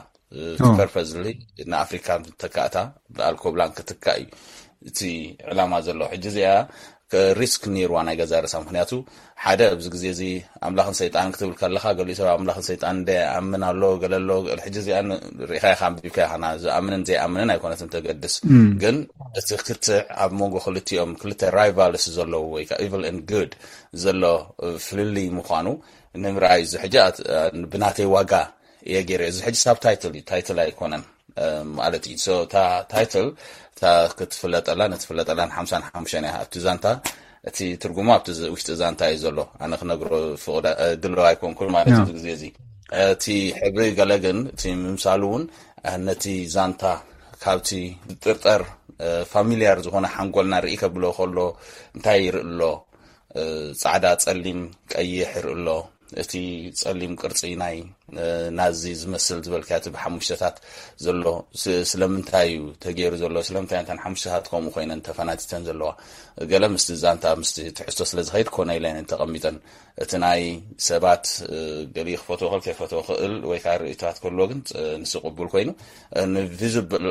እቲ ኦ። ፐርፐዝሊ ንኣፍሪካ ተካእታ ብኣልኮብላን ክትካእ እዩ እቲ ዕላማ ዘሎ። ሕጂ እዚኣ ሪስክ ነይርዋ ናይ ገዛ ርእሳ። ምክንያቱ ሓደ ኣብዚ ግዜ እዚ ኣምላኽን ሰይጣን ክትብል ከለኻ፣ ገሊኡ ሰብ ኣምላኽን ሰይጣን እንደ ኣምን ኣሎ፣ ገለ ኣሎ። ሕጂ እዚኣ ርኢኻ ኢኻ፣ ኣንቢብካ ኢኻ፣ ና ዝኣምንን ዘይኣምንን ኣይኮነትን ተገድስ። ግን እቲ ክትዕ ኣብ መንጎ ክልቲኦም፣ ክልተ ራይቫልስ ዘለዉ ወይ ከዓ ኢቭል ኤንድ ጉድ ዘሎ ፍልልይ ምዃኑ ንምርኣይ፣ እዚ ሕጂ ብናተይ ዋጋ እየ ገይረ። እዚ ሕጂ ሳብ ታይትል እዩ፣ ታይትል ኣይኮነን ማለት እዩ። እታ ታይትል እታ ክትፍለጠላ፣ ንትፍለጠላን ሓምሳን ሓሙሽተን እያ ኣብቲ ዛንታ። እቲ ትርጉሙ ኣብቲ ውሽጢ ዛንታ እዩ ዘሎ። ኣነ ክነግሮ ፍቕደ ድሎ ኣይኮንኩን ማለት እዩ። ግዜ እዚ እቲ ሕብሪ ገለ ግን እቲ ምምሳሉ እውን ነቲ ዛንታ ካብቲ ዝጥርጠር ፋሚልያር ዝኾነ ሓንጎልና ርኢ ከብሎ ከሎ እንታይ ይርኢ ኣሎ? ጻዕዳ፣ ጸሊም፣ ቀይሕ ይርኢ ኣሎ። እቲ ጸሊም ቅርጺ ናይ ናዚ ዝመስል ዝበልካ እቲ ብሓሙሽተታት ዘሎ ስለምንታይ እዩ ተገይሩ ዘሎ? ስለምንታይ እንተን ሓሙሽተታት ከምኡ ኮይነን ተፈናቲተን ዘለዋ? ገለ ምስቲ ዛንታ ምስቲ ትሕዝቶ ስለ ዝኸይድ ኮነ ኢለን ተቐሚጠን። እቲ ናይ ሰባት ገሊ ክፈትዎ ክእል ከይፈትዎ ክእል ወይ ከዓ ርእይቶታት ከልዎ ግን ንሱ ቅቡል ኮይኑ፣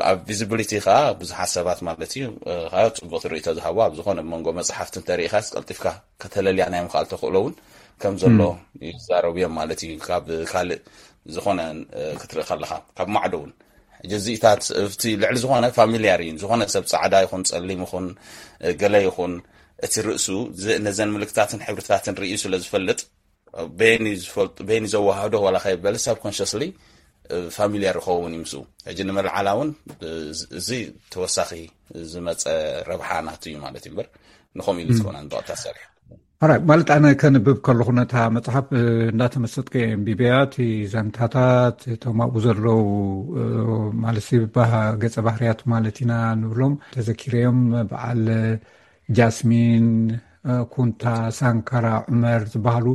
ኣብ ቪዚብሊቲ ከዓ ብዙሓት ሰባት ማለት እዩ ከዓ ፅቡቅ ርእይቶ ዝሃቡ ኣብ ዝኾነ መንጎ መፅሓፍቲ እንተሪኢኻ ቀልጢፍካ ከተለልያ ናይ ምኽኣል ተኽእሎ እውን ከም ዘሎ ይዛረቡ እዮም ማለት እዩ። ካብ ካልእ ዝኾነ ክትርኢ ከለኻ ካብ ማዕዶ እውን ሕጂ እዚታት እቲ ልዕሊ ዝኾነ ፋሚልያር እዩ። ዝኾነ ሰብ ፃዕዳ ይኹን ፀሊም ይኹን ገለ ይኹን እቲ ርእሱ ነዘን ምልክታትን ሕብርታትን ርእዩ ስለ ዝፈልጥ በይኑ ዘዋሃዶ ዋላ ከይበለ ሳብኮንሽስሊ ፋሚልያር ይኸውን እዩ ምስኡ። ሕጂ ንመልዓላ እውን እዚ ተወሳኺ ዝመፀ ረብሓ ናቱ እዩ ማለት እዩ እምበር ንኸምኡ ኢሉ ዝኾነ ንብቕታ ሰሪሑ ራይ ማለት ኣነ ከንብብ ከለኹ ነታ መፅሓፍ እንዳተመሰጥኩ እየ ኣንቢበያ። እቲ ዘንታታት እቶም ኣብኡ ዘለዉ ማለት ገፀ ባህርያት ማለት ኢና ንብሎም ተዘኪረዮም በዓል ጃስሚን፣ ኩንታ፣ ሳንካራ፣ ዑመር ዝበሃሉ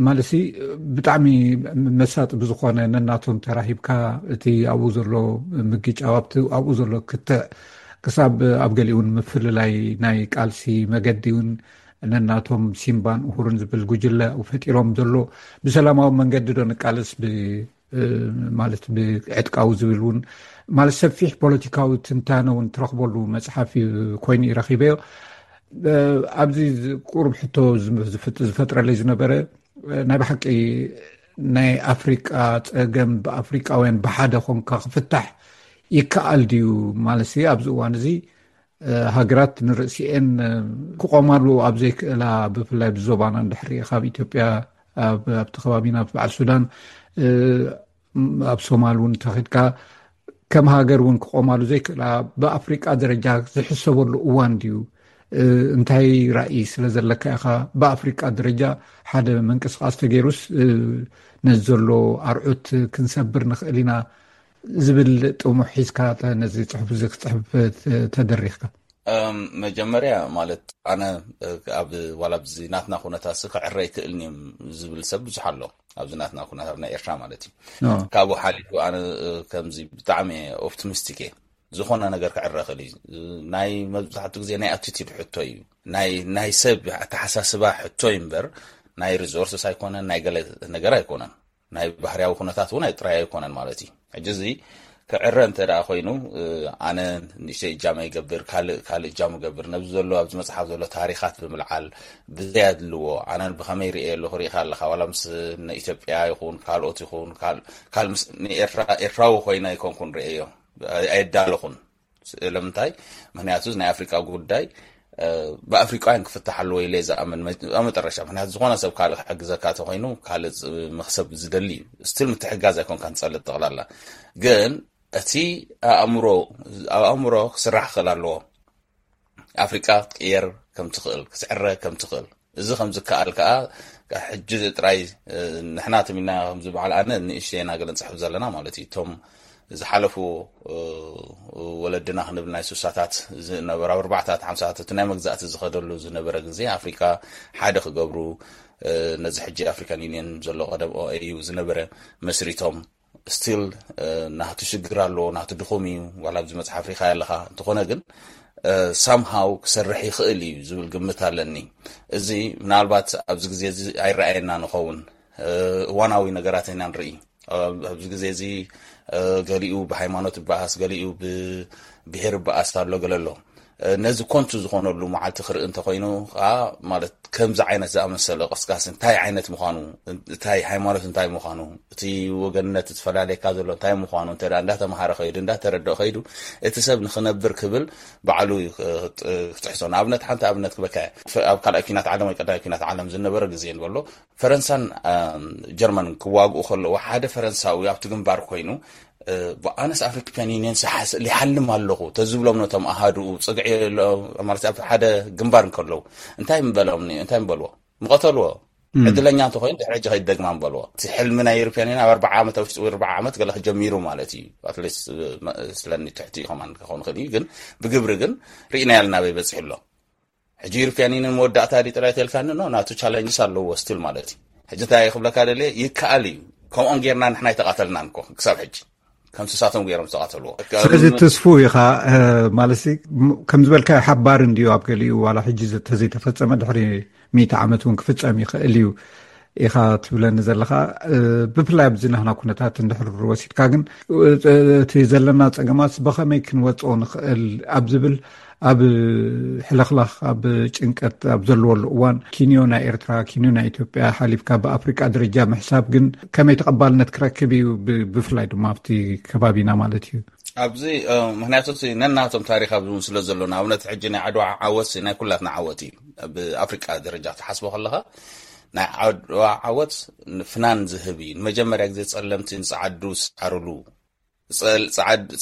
ማለት ብጣዕሚ መሳጢ ብዝኾነ ነናቶም ተራሂብካ እቲ ኣብኡ ዘሎ ምግጫው ኣብኡ ዘሎ ክትዕ ክሳብ ኣብ ገሊኡ እውን ምፍልላይ ናይ ቃልሲ መገዲ እውን ነናቶም ሲምባን ኡሁሩን ዝብል ጉጅለ ፈጢሮም ዘሎ ብሰላማዊ መንገዲ ዶ ንቃለስ ማለት ብዕጥቃዊ ዝብል እውን ማለት ሰፊሕ ፖለቲካዊ ትንታነ እውን ትረኽበሉ መፅሓፍ ኮይኑ ይረኪበዮ። ኣብዚ ቁሩብ ሕቶ ዝፈጥረለይ ዝነበረ ናይ ብሓቂ ናይ ኣፍሪቃ ፀገም ብኣፍሪቃውያን ብሓደ ኮንካ ክፍታሕ ይከኣል ድዩ ማለት ኣብዚ እዋን እዚ ሃገራት ንርእሲኤን ክቆማሉ ኣብ ዘይክእላ ብፍላይ ብዞባና እንድሕር ካብ ኢትዮጵያ ኣብቲ ከባቢና በዓል ሱዳን ኣብ ሶማል እውን ተኸድካ ከም ሃገር እውን ክቆማሉ ዘይክእላ ብኣፍሪቃ ደረጃ ዝሕሰበሉ እዋን ድዩ? እንታይ ራእይ ስለ ዘለካ ኢኻ ብኣፍሪቃ ደረጃ ሓደ ምንቅስቃስ ተገይሩስ ነዚ ዘሎ ኣርዑት ክንሰብር ንኽእል ኢና ዝብል ጥሙሕ ሒዝካ ነዚ ፅሑፍ እዚ ክፅሕፍ ተደሪኽካ? መጀመርያ ማለት ኣነ ኣብ ዋላ ብዚ ናትና ኩነታት ክዕረ ይክእልኒ ዝብል ሰብ ብዙሕ ኣሎ። ኣብዚ ናትና ኩነታት ናይ ኤርትራ ማለት እዩ። ካብኡ ሓሊፉ ኣነ ከምዚ ብጣዕሚ ኦፕቲሚስቲክ እየ። ዝኾነ ነገር ክዕረ ክእል እዩ። ናይ መብዛሕትኡ ግዜ ናይ ኣቲቲድ ሕቶ እዩ። ናይ ሰብ ኣተሓሳስባ ሕቶ እዩ እምበር ናይ ሪሶርስስ ኣይኮነን፣ ናይ ገለ ነገር ኣይኮነን። ናይ ባህርያዊ ኩነታት እውን ጥራይ ኣይኮነን ማለት እዩ። ሕጂ እዚ ክዕረ እንተ ደኣ ኮይኑ ኣነ ንእሽተይ እጃመ ይገብር፣ ካልእ ካልእ እጃሙ ይገብር። ነብዚ ዘሎ ኣብዚ መጽሓፍ ዘሎ ታሪኻት ብምልዓል ብዘይ ኣድልዎ ኣነ ብኸመይ ርእየ ኣለኹ ርኢኻ ኣለኻ ዋላ ምስ ንኢትዮጵያ ይኹን ካልኦት ይኹን ንኤርትራ ኤርትራዊ ኮይነ ኣይኮንኩን ርእየዮ ኣየዳለኹን። ስለምንታይ? ምክንያቱ ናይ ኣፍሪቃ ጉዳይ ብኣፍሪቃውያን ክፍታሕ ኣለዎ ኢለ ዝኣምን ኣብ መጠረሻ። ምክንያቱ ዝኾነ ሰብ ካልእ ክሕግዘካ ተኮይኑ ካልእ መክሰብ ዝደሊ እዩ። ስቲል ምትሕጋዝ ኣይኮንካ ንጸልእ ጠቕላላ ግን እቲ ኣእምሮ ኣብ ኣእምሮ ክስራሕ ክኽእል ኣለዎ። ኣፍሪቃ ክትቅየር ከም ትኽእል ክትዕረ ከም ትኽእል እዚ ከም ዝከኣል ከዓ ሕጂ ጥራይ ንሕና ትም ኢልና ከምዚ በዓል ኣነ ንእሽተይ ኢና ገለ ንፅሕፍ ዘለና ማለት እዩ። እቶም ዝሓለፉ ወለድና ክንብል ናይ ሱሳታት ዝነበሩ ኣብ ኣርባዕታት ሓምሳታት እቲ ናይ መግዛእቲ ዝኸደሉ ዝነበረ ግዜ ኣፍሪካ ሓደ ክገብሩ ነዚ ሕጂ ኣፍሪካን ዩኒየን ዘሎ ቀደም ኦኤዩ ዝነበረ መስሪቶም ስቲል ናቱ ሽግር ኣለዎ ናቱ ድኹም እዩ ዋላ ኣብዚ መፅሓፍ ሪካ ኣለካ እንተኾነ ግን ሳምሃው ክሰርሕ ይኽእል እዩ ዝብል ግምት ኣለኒ። እዚ ምናልባት ኣብዚ ግዜ እዚ ኣይረኣየና ንኸውን እዋናዊ ነገራት ኢና ንርኢ። ኣብዚ ግዜ እዚ ገሊኡ ብሃይማኖት ይበኣስ ገሊኡ ብብሄር ይበኣስ ኣሎ ገለ ኣሎ። ነዚ ኮንቱ ዝኾነሉ መዓልቲ ክርኢ እንተኾይኑ ከዓ፣ ማለት ከምዚ ዓይነት ዝኣመሰለ ቀስቃሲ እንታይ ዓይነት ምዃኑ፣ እንታይ ሃይማኖት እንታይ ምዃኑ፣ እቲ ወገንነት ዝፈላለየካ ዘሎ እንታይ ምዃኑ እንተ እንዳተምሃረ ከይዱ፣ እንዳተረድኦ ከይዱ፣ እቲ ሰብ ንኽነብር ክብል ባዕሉ ክጥሕሶ። ንኣብነት ሓንቲ ኣብነት ክበካ፣ ኣብ ካልኣይ ኲናት ዓለም ወይ ቀዳማይ ኲናት ዓለም ዝነበረ ግዜ ንበሎ፣ ፈረንሳን ጀርመን ክዋግኡ ከለዉ፣ ሓደ ፈረንሳዊ ኣብቲ ግንባር ኮይኑ ብኣነስ ኣፍሪካን ዩኒየን ይሓልም ኣለኹ ተዝብሎም፣ ነቶም ኣሃድኡ ጽግዒ፣ ማለት ኣብ ሓደ ግንባር እንከለዉ እንታይ ምበሎም፣ እንታይ ምበልዎ? ምቐተልዎ። ዕድለኛ እንተኮይኑ ድሕሪ ሕጂ ከይደግማ ምበልዎ። እቲ ሕልሚ ናይ ዩሮፕያን ዩኒየን ኣብ ኣርባዓ ዓመት፣ ኣብ ውሽጢ ኣርባዓ ዓመት ገለ ክጀሚሩ ማለት እዩ። ኣትሊስት ስለኒ ትሕቲ ኢኸማን ክኸውን ይኽእል እዩ፣ ግን ብግብሪ ግን ርኢና ያልና በይ በፂሑ ኣሎ። ሕጂ ዩሮፕያን ዩኒየን መወዳእታ ዲ ጥራይ ተልካኒ፣ ኖ፣ ናቱ ቻለንጅስ ኣለዎ ስቲል ማለት እዩ። ሕጂ እንታይ ክብለካ ደልየ፣ ይከኣል እዩ። ከምኦም ጌርና ንሕና ኣይተቓተልናን እኮ ክሳብ ሕጂ፣ ከም ስሳቶም ገይሮም ዝተቓተልዎ። ስለዚ ትስፉ ኢኻ ማለት ከም ዝበልካ ሓባር እንድዩ ኣብ ገሊኡ ዋላ ሕጂ ተዘይተፈጸመ ድሕሪ ሚእቲ ዓመት እውን ክፍጸም ይኽእል እዩ ኢኻ ትብለኒ ዘለኻ። ብፍላይ ኣብዚ ናህና ኩነታት እንድሕር ወሲድካ ግን እቲ ዘለና ጸገማት ብኸመይ ክንወጽኦ ንኽእል ኣብ ዝብል ኣብ ሕልኽላኽ ኣብ ጭንቀት ኣብ ዘለወሉ እዋን ኪንዮ ናይ ኤርትራ ኪንዮ ናይ ኢትዮጵያ ሓሊፍካ ብኣፍሪቃ ደረጃ ምሕሳብ ግን ከመይ ተቐባልነት ክረክብ እዩ? ብፍላይ ድማ ኣብቲ ከባቢና ማለት እዩ። ኣብዚ ምክንያቱ እቲ ነናቶም ታሪክ ኣብዚ እውን ስለ ዘሎ ንኣብነት ሕጂ ናይ ዓድዋ ዓወት ናይ ኩላትና ዓወት እዩ። ብኣፍሪቃ ደረጃ ክትሓስቦ ከለካ ናይ ዓድዋ ዓወት ፍናን ዝህብ እዩ። ንመጀመርያ ግዜ ጸለምቲ ንጸዓዱ ዝጻዕርሉ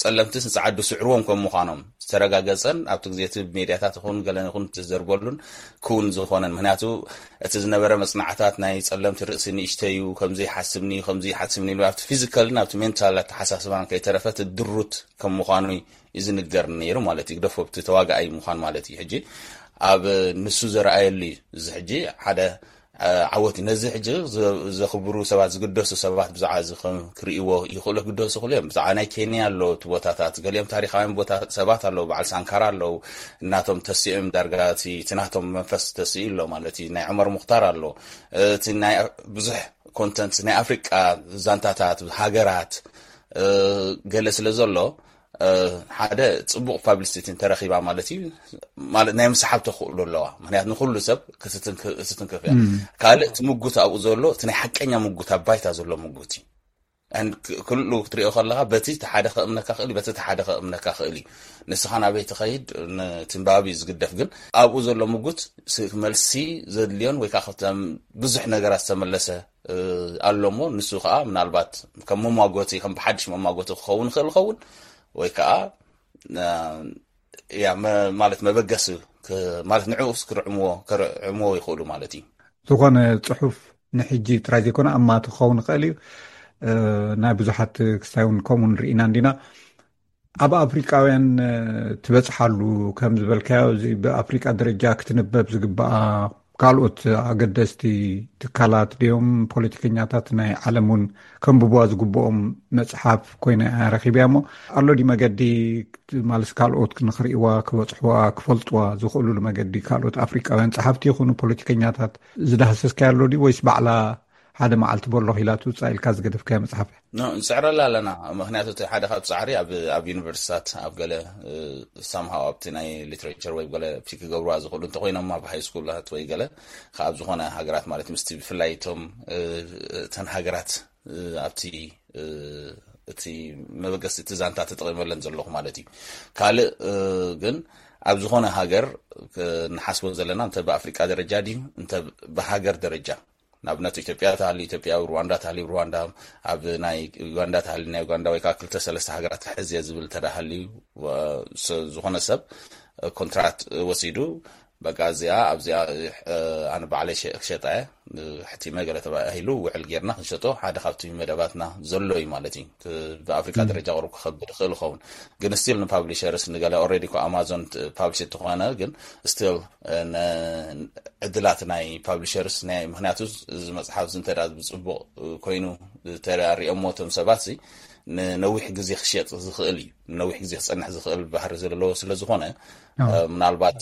ጸለምትስ ንጸዓዱ ስዕርዎም ከም ምዃኖም ዝተረጋገጸን ኣብቲ ግዜ እቲ ብሜድያታት ይኹን ገለ ይኹን ትዘርበሉን ክውን ዝኾነን። ምክንያቱ እቲ ዝነበረ መጽናዕታት ናይ ጸለምቲ ርእሲ ንእሽተዩ፣ ከምዚ ይሓስብኒ ከምዚ ይሓስብኒ ኢሉ ኣብቲ ፊዚካልን ኣብቲ ሜንታል ኣተሓሳስባን ከይተረፈ እቲ ድሩት ከም ምዃኑ እዩ ዝንገር ነይሩ ማለት እዩ። ግደፎ ኣብቲ ተዋጋኣይ ምዃን ማለት እዩ። ሕጂ ኣብ ንሱ ዘረኣየሉ እዩ። እዚ ሕጂ ሓደ ዓወት እዩ። ነዚ ሕጂ ዘኽብሩ ሰባት፣ ዝግደሱ ሰባት ብዛዕባ እዚ ከም ክርእይዎ ይኽእሉ ክደሱ ይኽእሉ እዮም። ብዛዕባ ናይ ኬንያ ኣሎ እቲ ቦታታት፣ ገሊኦም ታሪኻውያን ቦታ ሰባት ኣለዉ፣ በዓል ሳንካራ ኣለዉ፣ እናቶም ተሲኦም ዳርጋ እቲ ናቶም መንፈስ ተሲኡ ኣሎ ማለት እዩ። ናይ ዑመር ሙኽታር ኣሎ። እቲ ናይ ብዙሕ ኮንተንት ናይ ኣፍሪቃ ዛንታታት ሃገራት ገለ ስለ ዘሎ ሓደ ጽቡቕ ፓብሊሲቲ እንተረኺባ ማለት እዩ፣ ማለት ናይ ምስሓብ ተኽእሎ ኣለዋ። ምክንያቱ ንኩሉ ሰብ ክትትንክፍ እያ። ካልእ እቲ ምጉት ኣብኡ ዘሎ እቲ ናይ ሓቀኛ ምጉት ኣብ ባይታ ዘሎ ምጉት እዩ። ክሉ ክትሪኦ ከለካ በቲ ሓደ ከእምነካ ክእል በቲ ሓደ ከእምነካ ክእል እዩ። ንስኻ ናበይ ትኸይድ ትንባብ እዩ ዝግደፍ። ግን ኣብኡ ዘሎ ምጉት መልሲ ዘድልዮን ወይ ከዓ ብዙሕ ነገራት ዝተመለሰ ኣሎ እሞ ንሱ ከዓ ምናልባት ከም መማጎቲ ከም ብሓድሽ መማጎቲ ክኸውን ይኽእል ይኸውን ወይ ከዓ ማለት መበገሲ ማለት ንዕኡስ ክርዕምዎ ከርዕምዎ ይኽእሉ ማለት እዩ። ዝኾነ ፅሑፍ ንሕጂ ጥራይ ዘይኮነ ኣማቲ ክኸውን ይኽእል እዩ። ናይ ብዙሓት ክስታይ እውን ከምኡ ንርኢና እንዲና። ኣብ ኣፍሪቃውያን ትበፅሓሉ ከም ዝበልካዮ እዚ ብኣፍሪቃ ደረጃ ክትንበብ ዝግበኣ ካልኦት ኣገደስቲ ትካላት ድዮም ፖለቲከኛታት ናይ ዓለም እውን ከንብብዋ ዝግብኦም መፅሓፍ ኮይነ ረኺብያ እሞ ኣሎ ድዩ መገዲ ማለት ካልኦት ንኽርእይዋ ክበፅሕዋ ክፈልጥዋ ዝኽእሉሉ መገዲ ካልኦት ኣፍሪቃውያን ፀሓፍቲ ይኹኑ ፖለቲከኛታት ዝዳህሰስካዮ ኣሎ ድዩ ወይስ ባዕላ ሓደ መዓልቲ በሎ ኢላ ትውፃእ ኢልካ ዝገደፍካዮ መፅሓፍ እያ? ንፅዕረላ ኣለና። ምክንያቱ እቲ ሓደ ካብ ፃዕሪ ኣብ ዩኒቨርሲታት ኣብ ገለ ሳምሃው ኣብቲ ናይ ሊትሬቸር ወይ ገለ ፒክ ክገብርዋ ዝኽእሉ እንተኮይኖም ኣብ ሃይ ስኩላት ወይ ገለ ካብ ዝኾነ ሃገራት ማለት ምስቲ ብፍላይ እቶም እተን ሃገራት ኣብቲ እቲ መበገሲ እቲ ዛንታ ተጠቒመለን ዘለኹ ማለት እዩ። ካልእ ግን ኣብ ዝኾነ ሃገር ንሓስቦ ዘለና እንተ ብኣፍሪቃ ደረጃ ድዩ እንተ ብሃገር ደረጃ ንኣብነት ኢትዮጵያ ተሃልዩ ኢትዮጵያ፣ ሩዋንዳ ተሃልዩ ሩዋንዳ፣ ኣብ ናይ ዩጋንዳ ተሃልዩ ናይ ዩጋንዳ ወይ ከዓ ክልተ ሰለስተ ሃገራት ክሕዝ እየ ዝብል እንተ ሃልዩ ዝኾነ ሰብ ኮንትራት ወሲዱ በቃ እዚኣ ኣብዚኣ ኣነ ባዕለይ ክሸጣ እየ ሕቲመ ገለ ተባሂሉ ውዕል ጌርና ክንሸጦ ሓደ ካብቲ መደባትና ዘሎ እዩ ማለት እዩ። ብኣፍሪካ ደረጃ ቁሩብ ክኸብድ ይኽእል ይኸውን ግን ስቲል ንፓብሊሸርስ ንገለ ኦልሬዲ እኮ ኣማዞን ፓብሊሽ እንተኾነ ግን ስቲል ዕድላት ናይ ፓብሊሸርስ ምክንያቱ እዚ መፅሓፍ እዚ እንተ ብፅቡቅ ኮይኑ ተሪኦሞ እቶም ሰባት ንነዊሕ ግዜ ክሸጥ ዝኽእል እዩ። ንነዊሕ ግዜ ክፀንሕ ዝኽእል ባህሪ ዘለዎ ስለ ዝኾነ ምናልባት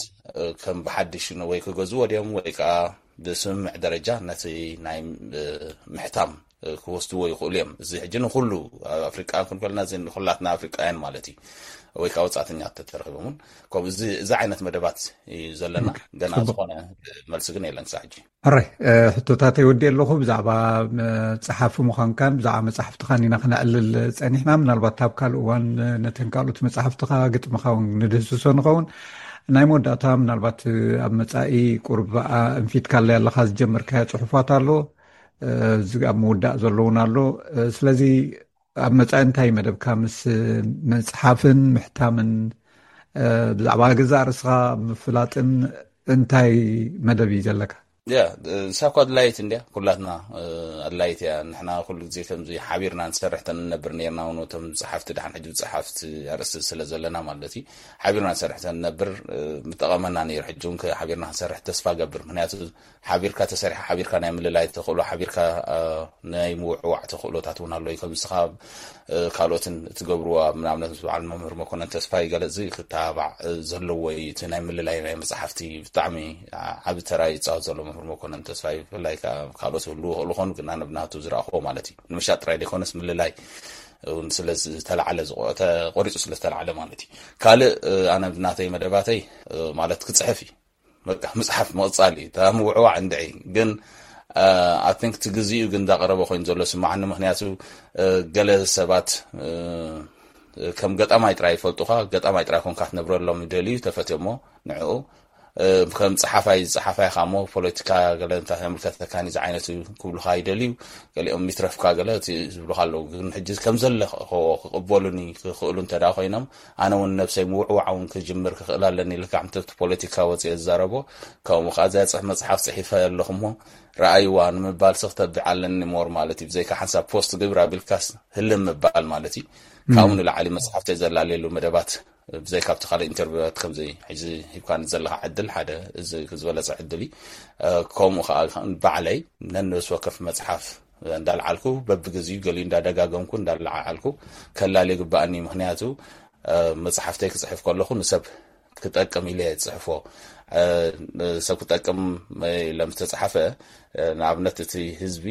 ከም ብሓድሽ ወይ ክገዝዎ ድዮም ወይ ከዓ ብስምምዕ ደረጃ ነቲ ናይ ምሕታም ክወስድዎ ይኽእሉ እዮም። እዚ ሕጂ ንኩሉ ኣብ ኣፍሪቃ ክንከልና፣ እዚ ንኩላትና ኣፍሪቃውያን ማለት እዩ፣ ወይ ከዓ ወጻእተኛታት ተተረኺቦም እውን ከምኡ፣ እዚ፣ እዚ ዓይነት መደባት እዩ ዘለና። ገና ዝኾነ መልሲ ግን የለን ክሳዕ ሕጂ። ሕራይ፣ ሕቶታተይ ወዲ ኣለኹ። ብዛዕባ መፅሓፊ ምዃንካን ብዛዕባ መፅሓፍትኻን ኢና ክነዕልል ፀኒሕና። ምናልባት ኣብ ካልእ እዋን ነተን ካልኦት መፅሓፍትኻ፣ ግጥምኻ እውን ንድህስሶ ንኸውን። ናይ መወዳእታ፣ ምናልባት ኣብ መፃኢ ቁርብ እንፊትካለይ ኣለኻ ዝጀመርካዮ ፅሑፋት ኣሎ፣ እዚ ኣብ ምውዳእ ዘለውን ኣሎ። ስለዚ ኣብ መጻኢ እንታይ መደብካ ምስ ምጽሓፍን ምሕታምን፣ ብዛዕባ ገዛእ ርእስኻ ምፍላጥን እንታይ መደብ እዩ ዘለካ? ያ፣ እሳ እኮ ኣድላይት እንድያ፣ ኩላትና ኣድላይት እያ። ንሕና ኩሉ ግዜ ከምዚ ሓቢርና ንሰርሕ ተንነብር ነርና እውን፣ እቶም ጸሓፍቲ፣ ደሓን ሕጂ ጸሓፍቲ ኣርእስቲ ስለ ዘለና ማለት እዩ። ሓቢርና ንሰርሕ ተንነብር ምጠቐመና ነይሩ። ሕጂ እውን ሓቢርና ክንሰርሕ ተስፋ ገብር። ምክንያቱ ሓቢርካ ተሰሪሓ፣ ሓቢርካ ናይ ምልላይ ተኽእሎ፣ ሓቢርካ ናይ ምውዕዋዕ ተኽእሎታት እውን ኣሎ እዩ። ከም ንስኻ ካልኦትን እትገብርዎ፣ ንኣብነት ምስ በዓል መምህር መኮነን ተስፋይ ገለ እዚ ክተባባዕ ዘለዎ እዩ። እቲ ናይ ምልላይ ናይ መፅሓፍቲ ብጣዕሚ ዓቢ ተራ ይፃወት ዘሎ መምህር መኮነን ተስፋይ፣ ብፍላይ ካልኦት ይህልዉ ይኽእሉ ኾኑ፣ ግን ኣነ ብናቱ ዝረኣኽዎ ማለት እዩ። ንምሻጥ ጥራይ ዘይኮነስ ምልላይ እውን ስለ ዝተላዕለ፣ ተቆሪፁ ስለ ዝተላዕለ ማለት እዩ። ካልእ ኣነ ብናተይ መደባተይ ማለት ክፅሕፍ እዩ። በቃ ምፅሓፍ ምቕፃል እዩ። እታ ምውዕዋዕ እንድዒ ግን፣ ኣይ ቲንክ እቲ ግዜኡ ግን እንዳቐረበ ኮይኑ ዘሎ ስማዓኒ። ምክንያቱ ገለ ሰባት ከም ገጣማይ ጥራይ ይፈልጡኻ፣ ገጣማይ ጥራይ ኮንካ ክትነብረሎም ይደልዩ፣ ተፈትዮሞ ንዕኡ። ከም ፀሓፋይ፣ ፀሓፋይ ኻሞ ፖለቲካ ገለ እንታይ የምልከተካኒ ዝዓይነቱ ክብሉኻ ይደልዩ። ገሊኦም ይትረፍካ ገለ እቲ ዝብሉኻ ኣለዉ። ግን ሕጂ ከም ዘለኽዎ ክቕበሉኒ ክኽእሉ እንተ ደኣ ኮይኖም፣ ኣነ እውን ነብሰይ ምውዕዋዕ እውን ክጅምር ክኽእል ኣለኒ። ልክዕ ከምቲ ኣብቲ ፖለቲካ ወፅየ ዝዛረቦ፣ ከምኡ ከዓ እዚኣ ፅሕ-፣ መፅሓፍ ፅሒፈ ኣለኹ እሞ ረኣይዋ ንምባል ሲ ክተብዕ ኣለኒ ሞር ማለት እዩ። ብዘይካ ሓንሳብ ፖስት ግብር ኣቢልካስ ህልም ምባል ማለት እዩ። ካብኡ ንላዕሊ መፅሓፍተይ ዘላለየሉ መደባት ብዘይካ ኣብቲ ካልእ ኢንተርቪዋት ከምዚ ሕጂ ሂብካኒ ዘለኻ ዕድል ሓደ እዚ ዝበለጸ ዕድል እዩ። ከምኡ ከዓ ባዕለይ ነንብስ ወከፍ መፅሓፍ እንዳልዓልኩ በብግዜኡ ገሊኡ እንዳደጋገምኩ እንዳለዓዓልኩ ከላልዮ ይግባኣኒ። ምክንያቱ መፅሓፍተይ ክፅሕፍ ከለኹ ንሰብ ክጠቅም ኢለ እየ ዝፅሕፎ። ሰብ ክጠቅም ኢለ ምስ ተፅሓፈ ንኣብነት እቲ ህዝቢ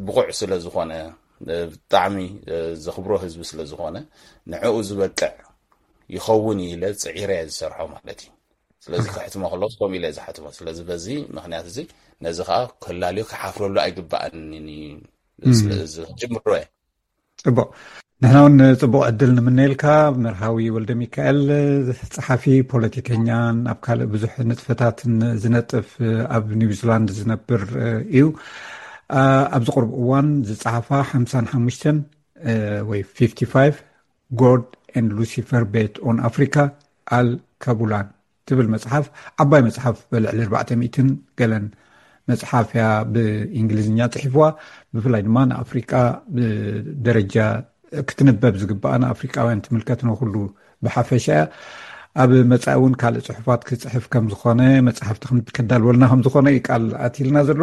ብቑዕ ስለ ዝኾነ፣ ብጣዕሚ ዘኽብሮ ህዝቢ ስለ ዝኾነ ንዕኡ ዝበቅዕ ይኸውን ኢለ ፅዒረ እየ ዝሰርሖ ማለት እዩ። ስለዚ ከሕትሞ ከለኹ ከምኡ ኢለ እየ ዝሓትሞ። ስለዚ በዚ ምክንያት እዚ ነዚ ከዓ ከላልዮ ክሓፍረሉ ኣይግባኣንን እዩ። ስለዚ ጅምሮ እየ። ጽቡቕ። ንሕና እውን ጽቡቕ ዕድል ንምነየልካ። መርሃዊ ወልደ ሚካኤል፣ ጸሓፊ፣ ፖለቲከኛን ኣብ ካልእ ብዙሕ ንጥፈታትን ዝነጥፍ ኣብ ኒውዚላንድ ዝነብር እዩ። ኣብዚ ቁርብ እዋን ዝጸሓፋ ሓምሳን ሓሙሽተን ወይ ፊፍቲ ፋይቭ፣ God and Lucifer Bet on Africa፣ ኣል ካቡላን ትብል መጽሓፍ፣ ዓባይ መጽሓፍ፣ ብልዕሊ ኣርባዕተ ሚእትን ገለን መጽሓፍ እያ ብእንግሊዝኛ ጽሒፍዋ። ብፍላይ ድማ ንኣፍሪቃ ብደረጃ ክትንበብ ዝግባኣ ንኣፍሪቃውያን ትምልከት፣ ንኹሉ ብሓፈሻ እያ። ኣብ መጻኢ እውን ካልእ ጽሑፋት ክጽሕፍ ከም ዝኾነ፣ መጽሓፍቲ ከም-፣ ከዳልወልና ከም ዝኾነ እዩ ቃል ኣትይልና ዘሎ።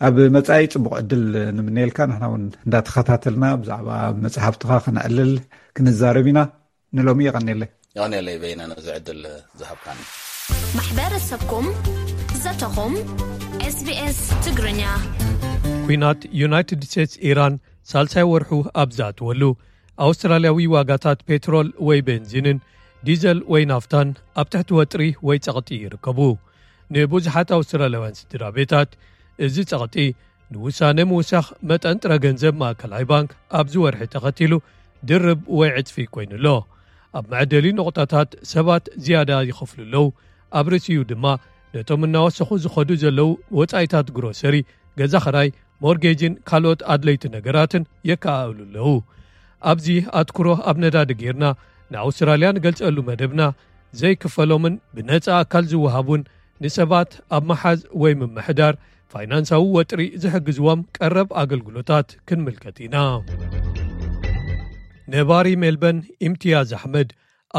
ኣብ መጻኢ ጽቡቕ ዕድል ንምነየልካ። ንሕና እውን እንዳተኸታተልና ብዛዕባ መጽሓፍትኻ ክነዕልል ክንዛረብ ኢና። ንሎሚ የቐንየለይ። የቐንየለይ በይነ ነዚ ዕድል ዝሃብካኒ። ማሕበረሰብኩም ዘተኹም። SBS ትግርኛ። ኲናት ዩናይትድ ስቴትስ ኢራን ሳልሳይ ወርሑ ኣብ ዝኣተወሉ፣ ኣውስትራልያዊ ዋጋታት ፔትሮል ወይ ቤንዚንን ዲዘል ወይ ናፍታን ኣብ ትሕቲ ወጥሪ ወይ ጸቕጢ ይርከቡ። ንብዙሓት ኣውስትራልያውያን ስድራ ቤታት፣ እዚ ጸቕጢ ንውሳነ ምውሳኽ መጠን ጥረ ገንዘብ ማእከላይ ባንክ ኣብዚ ወርሒ ተኸቲሉ ድርብ ወይ ዕጽፊ ኮይኑ ኣሎ። ኣብ መዐደሊ ነቑጣታት ሰባት ዝያዳ ይኸፍሉ ኣለዉ። ኣብ ርእሲኡ ድማ ነቶም እናወሰኹ ዝኸዱ ዘለዉ ወጻኢታት ግሮሰሪ፣ ገዛ ኽራይ፣ ሞርጌጅን ካልኦት ኣድለይቲ ነገራትን የከኣእሉ ኣለዉ። ኣብዚ ኣትኩሮ ኣብ ነዳዲ ጌርና ንኣውስትራልያ ንገልጸሉ መደብና ዘይክፈሎምን ብነጻ ኣካል ዝወሃቡን ንሰባት ኣብ ምሓዝ ወይ ምምሕዳር ፋይናንሳዊ ወጥሪ ዝሕግዝዎም ቀረብ ኣገልግሎታት ክንምልከት ኢና። ነባሪ ሜልበን ኢምትያዝ ኣሕመድ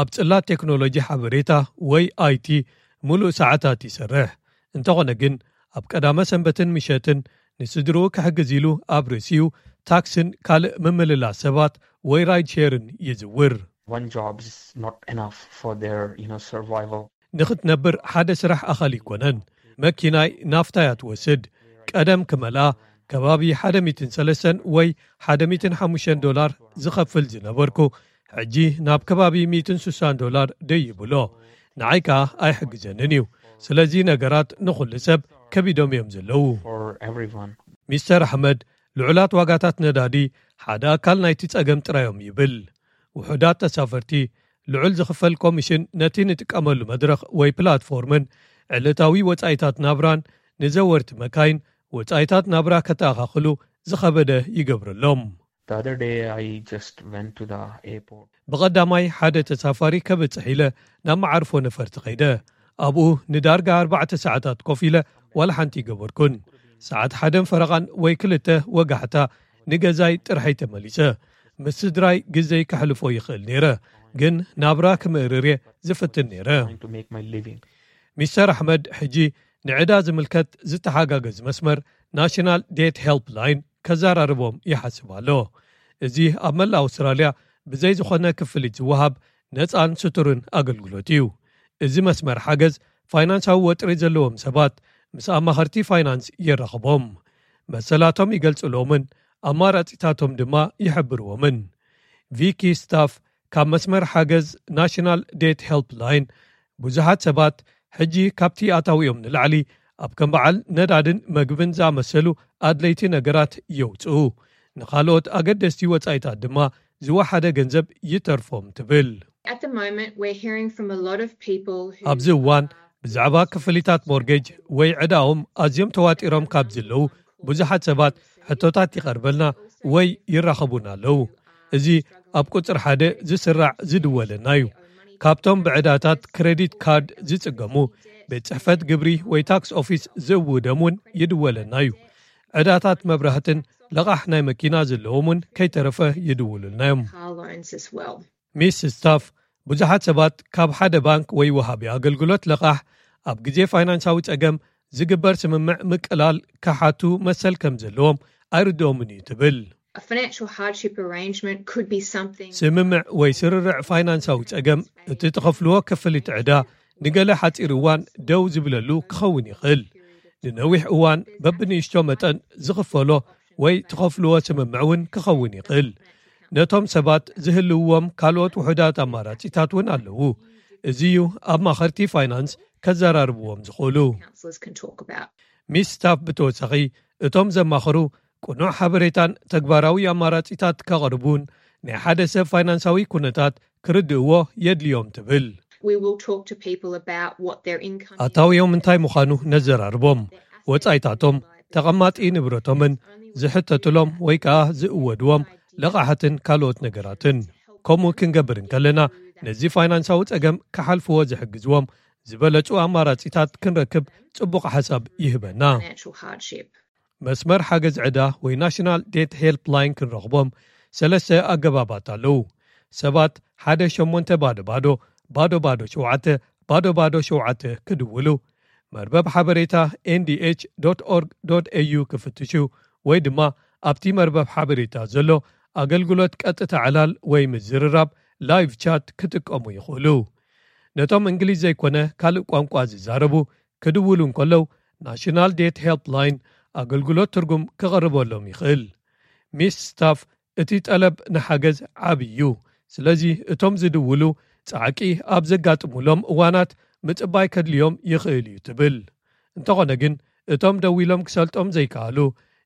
ኣብ ጽላት ቴክኖሎጂ ሓበሬታ ወይ ኣይ ቲ ምሉእ ሰዓታት ይሰርሕ። እንተኾነ ግን ኣብ ቀዳመ ሰንበትን ምሸትን ንስድርኡ ክሕግዝ ኢሉ ኣብ ርእሲኡ ታክስን ካልእ ምምልላስ ሰባት ወይ ራይድ ሼርን ይዝውር። One job is not enough for their, you know, survival. ንኽትነብር ሓደ ስራሕ ኣኻሊ ኣይኮነን። መኪናይ ናፍታ እያ ትወስድ። ቀደም ክመልኣ ከባቢ ሓደ ሚእትን ሰለስተን ወይ ሓደ ሚእትን ሓሙሽተን ዶላር ዝኸፍል ዝነበርኩ፣ ሕጂ ናብ ከባቢ ሚእትን ስሳን ዶላር ደይብሎ። ንዓይ ከኣ ኣይሕግዘንን እዩ። ስለዚ ነገራት ንኹሉ ሰብ ከቢዶም እዮም ዘለዉ። For everyone. ሚስተር ኣሕመድ፣ ልዑላት ዋጋታት ነዳዲ ሓደ ኣካል ናይቲ ጸገም ጥራዮም ይብል። ውሑዳት ተሳፈርቲ፣ ልዑል ዝኽፈል ኮሚሽን ነቲ ንጥቀመሉ መድረኽ ወይ ፕላትፎርምን ዕለታዊ ወጻኢታት ናብራን፣ ንዘወርቲ መካይን ወጻኢታት ናብራ ከተኣኻኽሉ ዝኸበደ ይገብረሎም። The other day, I just went to the airport. ብቐዳማይ ሓደ ተሳፋሪ ከብጽሕ ኢለ ናብ መዓርፎ ነፈርቲ ኸይደ። ኣብኡ ንዳርጋ ኣርባዕተ ሰዓታት ኮፍ ኢለ ዋላ ሓንቲ ይገበርኩን። ሰዓት ሓደን ፈረቓን ወይ ክልተ ወጋሕታ ንገዛይ ጥርሐይ ተመሊሰ። ምስ ስድራይ ግዘይ ከሕልፎ ይኽእል ነይረ፣ ግን ናብራ ክምእርር እየ ዝፍትን ነይረ። Trying to make my living. ሚስተር ኣሕመድ ሕጂ ንዕዳ ዝምልከት ዝተሓጋገዝ መስመር ናሽናል ዴት ሄልፕ ላይን ከዘራርቦም ይሓስብ ኣሎ። እዚ ኣብ መላእ ኣውስትራልያ ብዘይ ዝኾነ ክፍሊት ዝወሃብ ነፃን ስቱርን ኣገልግሎት እዩ። እዚ መስመር ሓገዝ ፋይናንሳዊ ወጥሪ ዘለዎም ሰባት ምስ ኣማኸርቲ ፋይናንስ የራኽቦም፣ መሰላቶም ይገልጽሎምን ኣማራጺታቶም ድማ ይሕብርዎምን። ቪኪ ስታፍ ካብ መስመር ሓገዝ ናሽናል ዴት ሄልፕ ላይን፣ ብዙሓት ሰባት ሕጂ ካብቲ ኣታዊኦም ንላዕሊ ኣብ ከም በዓል ነዳድን መግብን ዝኣመሰሉ ኣድለይቲ ነገራት የውፅኡ፣ ንኻልኦት ኣገደስቲ ወጻኢታት ድማ ዝወሓደ ገንዘብ ይተርፎም ትብል። At the moment, we're hearing from a lot of people who ኣብዚ እዋን ብዛዕባ ክፍሊታት ሞርጌጅ ወይ ዕዳኦም ኣዝዮም ተዋጢሮም ካብ ዘለዉ ብዙሓት ሰባት ሕቶታት ይቐርበልና ወይ ይራኸቡና ኣለዉ። እዚ ኣብ ቁጽሪ ሓደ ዝስራዕ ዝድወለና እዩ። ካብቶም ብዕዳታት ክሬዲት ካርድ ዝጽገሙ፣ ቤት ጽሕፈት ግብሪ ወይ ታክስ ኦፊስ ዝእውደም እውን ይድወለና እዩ። ዕዳታት መብራህትን ለቓሕ ናይ መኪና ዘለዎም እውን ከይተረፈ ይድውሉልና እዮም። Car loans as well. ሚስ ስታፍ፣ ብዙሓት ሰባት ካብ ሓደ ባንክ ወይ ወሃቢ ኣገልግሎት ለቓሕ ኣብ ግዜ ፋይናንሳዊ ጸገም ዝግበር ስምምዕ ምቅላል ክሓቱ መሰል ከም ዘለዎም ኣይርድኦምን እዩ ትብል። A financial hardship arrangement could be something ስምምዕ ወይ ስርርዕ ፋይናንሳዊ ጸገም፣ እቲ ትኸፍልዎ ክፍሊት ዕዳ ንገለ ሓጺር እዋን ደው ዝብለሉ ክኸውን ይኽእል። ንነዊሕ እዋን በብንእሽቶ መጠን ዝኽፈሎ ወይ ትኸፍልዎ ስምምዕ እውን ክኸውን ይኽእል። ነቶም ሰባት ዝህልውዎም ካልኦት ውሑዳት ኣማራጺታት እውን ኣለዉ። እዚ እዩ ኣማኸርቲ ፋይናንስ ከዘራርብዎም ዝኽእሉ። counsellors can talk about. ሚስ ስታፍ ብተወሳኺ፣ እቶም ዘማኸሩ ቅኑዕ ሓበሬታን ተግባራዊ ኣማራጺታት ከቕርቡን ናይ ሓደ ሰብ ፋይናንሳዊ ኩነታት ክርድእዎ የድልዮም ትብል። We will talk to people about what their income is. ኣታዊኦም እንታይ ምዃኑ ነዘራርቦም። ወጻኢታቶም፣ ተቐማጢ ንብረቶምን ዝሕተትሎም ወይ ከኣ ዝእወድዎም ለቓሓትን ካልኦት ነገራትን። ከምኡ ክንገብር እንከለና፣ ነዚ ፋይናንሳዊ ጸገም ክሓልፍዎ ዝሕግዝዎም ዝበለጹ ኣማራጺታት ክንረክብ ጽቡቕ ሓሳብ ይህበና። Financial hardship. መስመር ሓገዝ ዕዳ ወይ ናሽናል ዴት ሄልፕ ላይን ክንረኽቦም ሰለስተ ኣገባባት ኣለዉ። ሰባት ሓደ ሸሞንተ ባዶ ባዶ ባዶ ባዶ ሸውዓተ ባዶ ባዶ ሸውዓተ ክድውሉ፣ መርበብ ሓበሬታ ኤንዲኤች ዶት ኦርግ ዶት ኤዩ ክፍትሹ፣ ወይ ድማ ኣብቲ መርበብ ሓበሬታ ዘሎ ኣገልግሎት ቀጥታ ዕላል ወይ ምዝርራብ ላይቭ ቻት ክጥቀሙ ይኽእሉ። ነቶም እንግሊዝ ዘይኮነ ካልእ ቋንቋ ዝዛረቡ ክድውሉ እንከለዉ፣ ናሽናል ዴት ሄልፕ ላይን ኣገልግሎት ትርጉም ክቐርበሎም ይኽእል። ሚስ ስታፍ፣ እቲ ጠለብ ንሓገዝ ዓቢ እዩ። ስለዚ እቶም ዝድውሉ ጻዕቂ ኣብ ዘጋጥሙሎም እዋናት ምጽባይ ከድልዮም ይኽእል እዩ ትብል። እንተኾነ ግን፣ እቶም ደዊሎም ክሰልጦም ዘይከኣሉ፣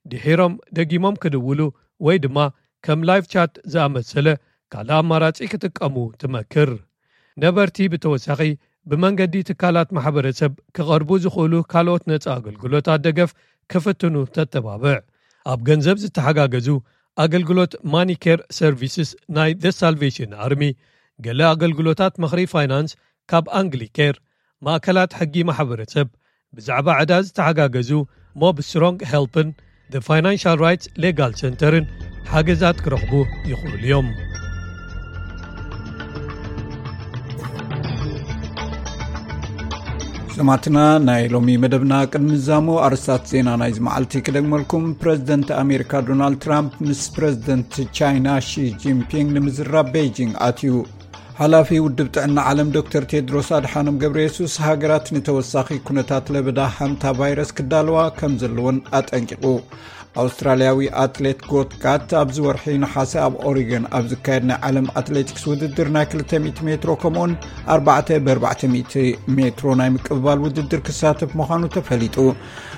ድሒሮም ደጊሞም ክድውሉ ወይ ድማ ከም ላይቭ ቻት ዝኣመሰለ ካልእ ኣማራጺ ክጥቀሙ ትመክር። ነበርቲ ብተወሳኺ ብመንገዲ ትካላት ማሕበረሰብ ክቐርቡ ዝኽእሉ ካልኦት ነጻ ኣገልግሎታት ደገፍ ክፍትኑ ተተባብዕ። ኣብ ገንዘብ ዝተሓጋገዙ ኣገልግሎት ማኒኬር ሰርቪስስ ናይ ዘ ሳልቬሽን ኣርሚ፣ ገለ ኣገልግሎታት ምኽሪ ፋይናንስ ካብ ኣንግሊኬር፣ ማእከላት ሕጊ ማሕበረሰብ፣ ብዛዕባ ዕዳ ዝተሓጋገዙ ሞብ ስትሮንግ ሄልፕን ዘ ፋይናንሻል ራይትስ ሌጋል ሴንተርን ሓገዛት ክረኽቡ ይኽእሉ እዮም። ሰማዕትና፣ ናይ ሎሚ መደብና ቅድሚ ዛሞ ኣርስታት ዜና ናይዚ መዓልቲ ክደግመልኩም። ፕረዚደንት ኣሜሪካ ዶናልድ ትራምፕ ምስ ፕረዚደንት ቻይና ሺ ጂንፒንግ ንምዝራብ ቤይጂንግ ኣትዩ። ሓላፊ ውድብ ጥዕና ዓለም ዶክተር ቴድሮስ ኣድሓኖም ገብረ የሱስ፣ ሃገራት ንተወሳኺ ኩነታት ለበዳ ሓንታ ቫይረስ ክዳለዋ ከም ዘለወን ኣጠንቂቑ። ኣውስትራልያዊ ኣትሌት ጎትካት ኣብዚ ወርሒ ነሓሰ ኣብ ኦሪገን ኣብ ዝካየድ ናይ ዓለም ኣትሌቲክስ ውድድር ናይ ክልተ ሚእቲ ሜትሮ ከምኡውን ኣርባዕተ ብኣርባዕተ ሚእቲ ሜትሮ ናይ ምቅብባል ውድድር ክሳተፍ ምዃኑ ተፈሊጡ።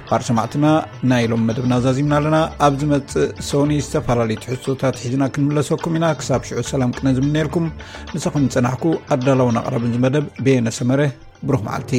ባር ሰማዕትና፣ ናይ ሎም መደብና ዛዚምና ኣለና። ኣብ ዝመጽእ ሶኒ ዝተፈላለዩ ትሕዝቶታት ሒዝና ክንምለሰኩም ኢና። ክሳብ ሽዑ ሰላም ቅነ ዝምነየልኩም። ምሳኹም ዝጸናሕኩ ኣዳላውን ኣቕራብን ዝመደብ በየነ ሰመረ። ብሩኽ መዓልቲ።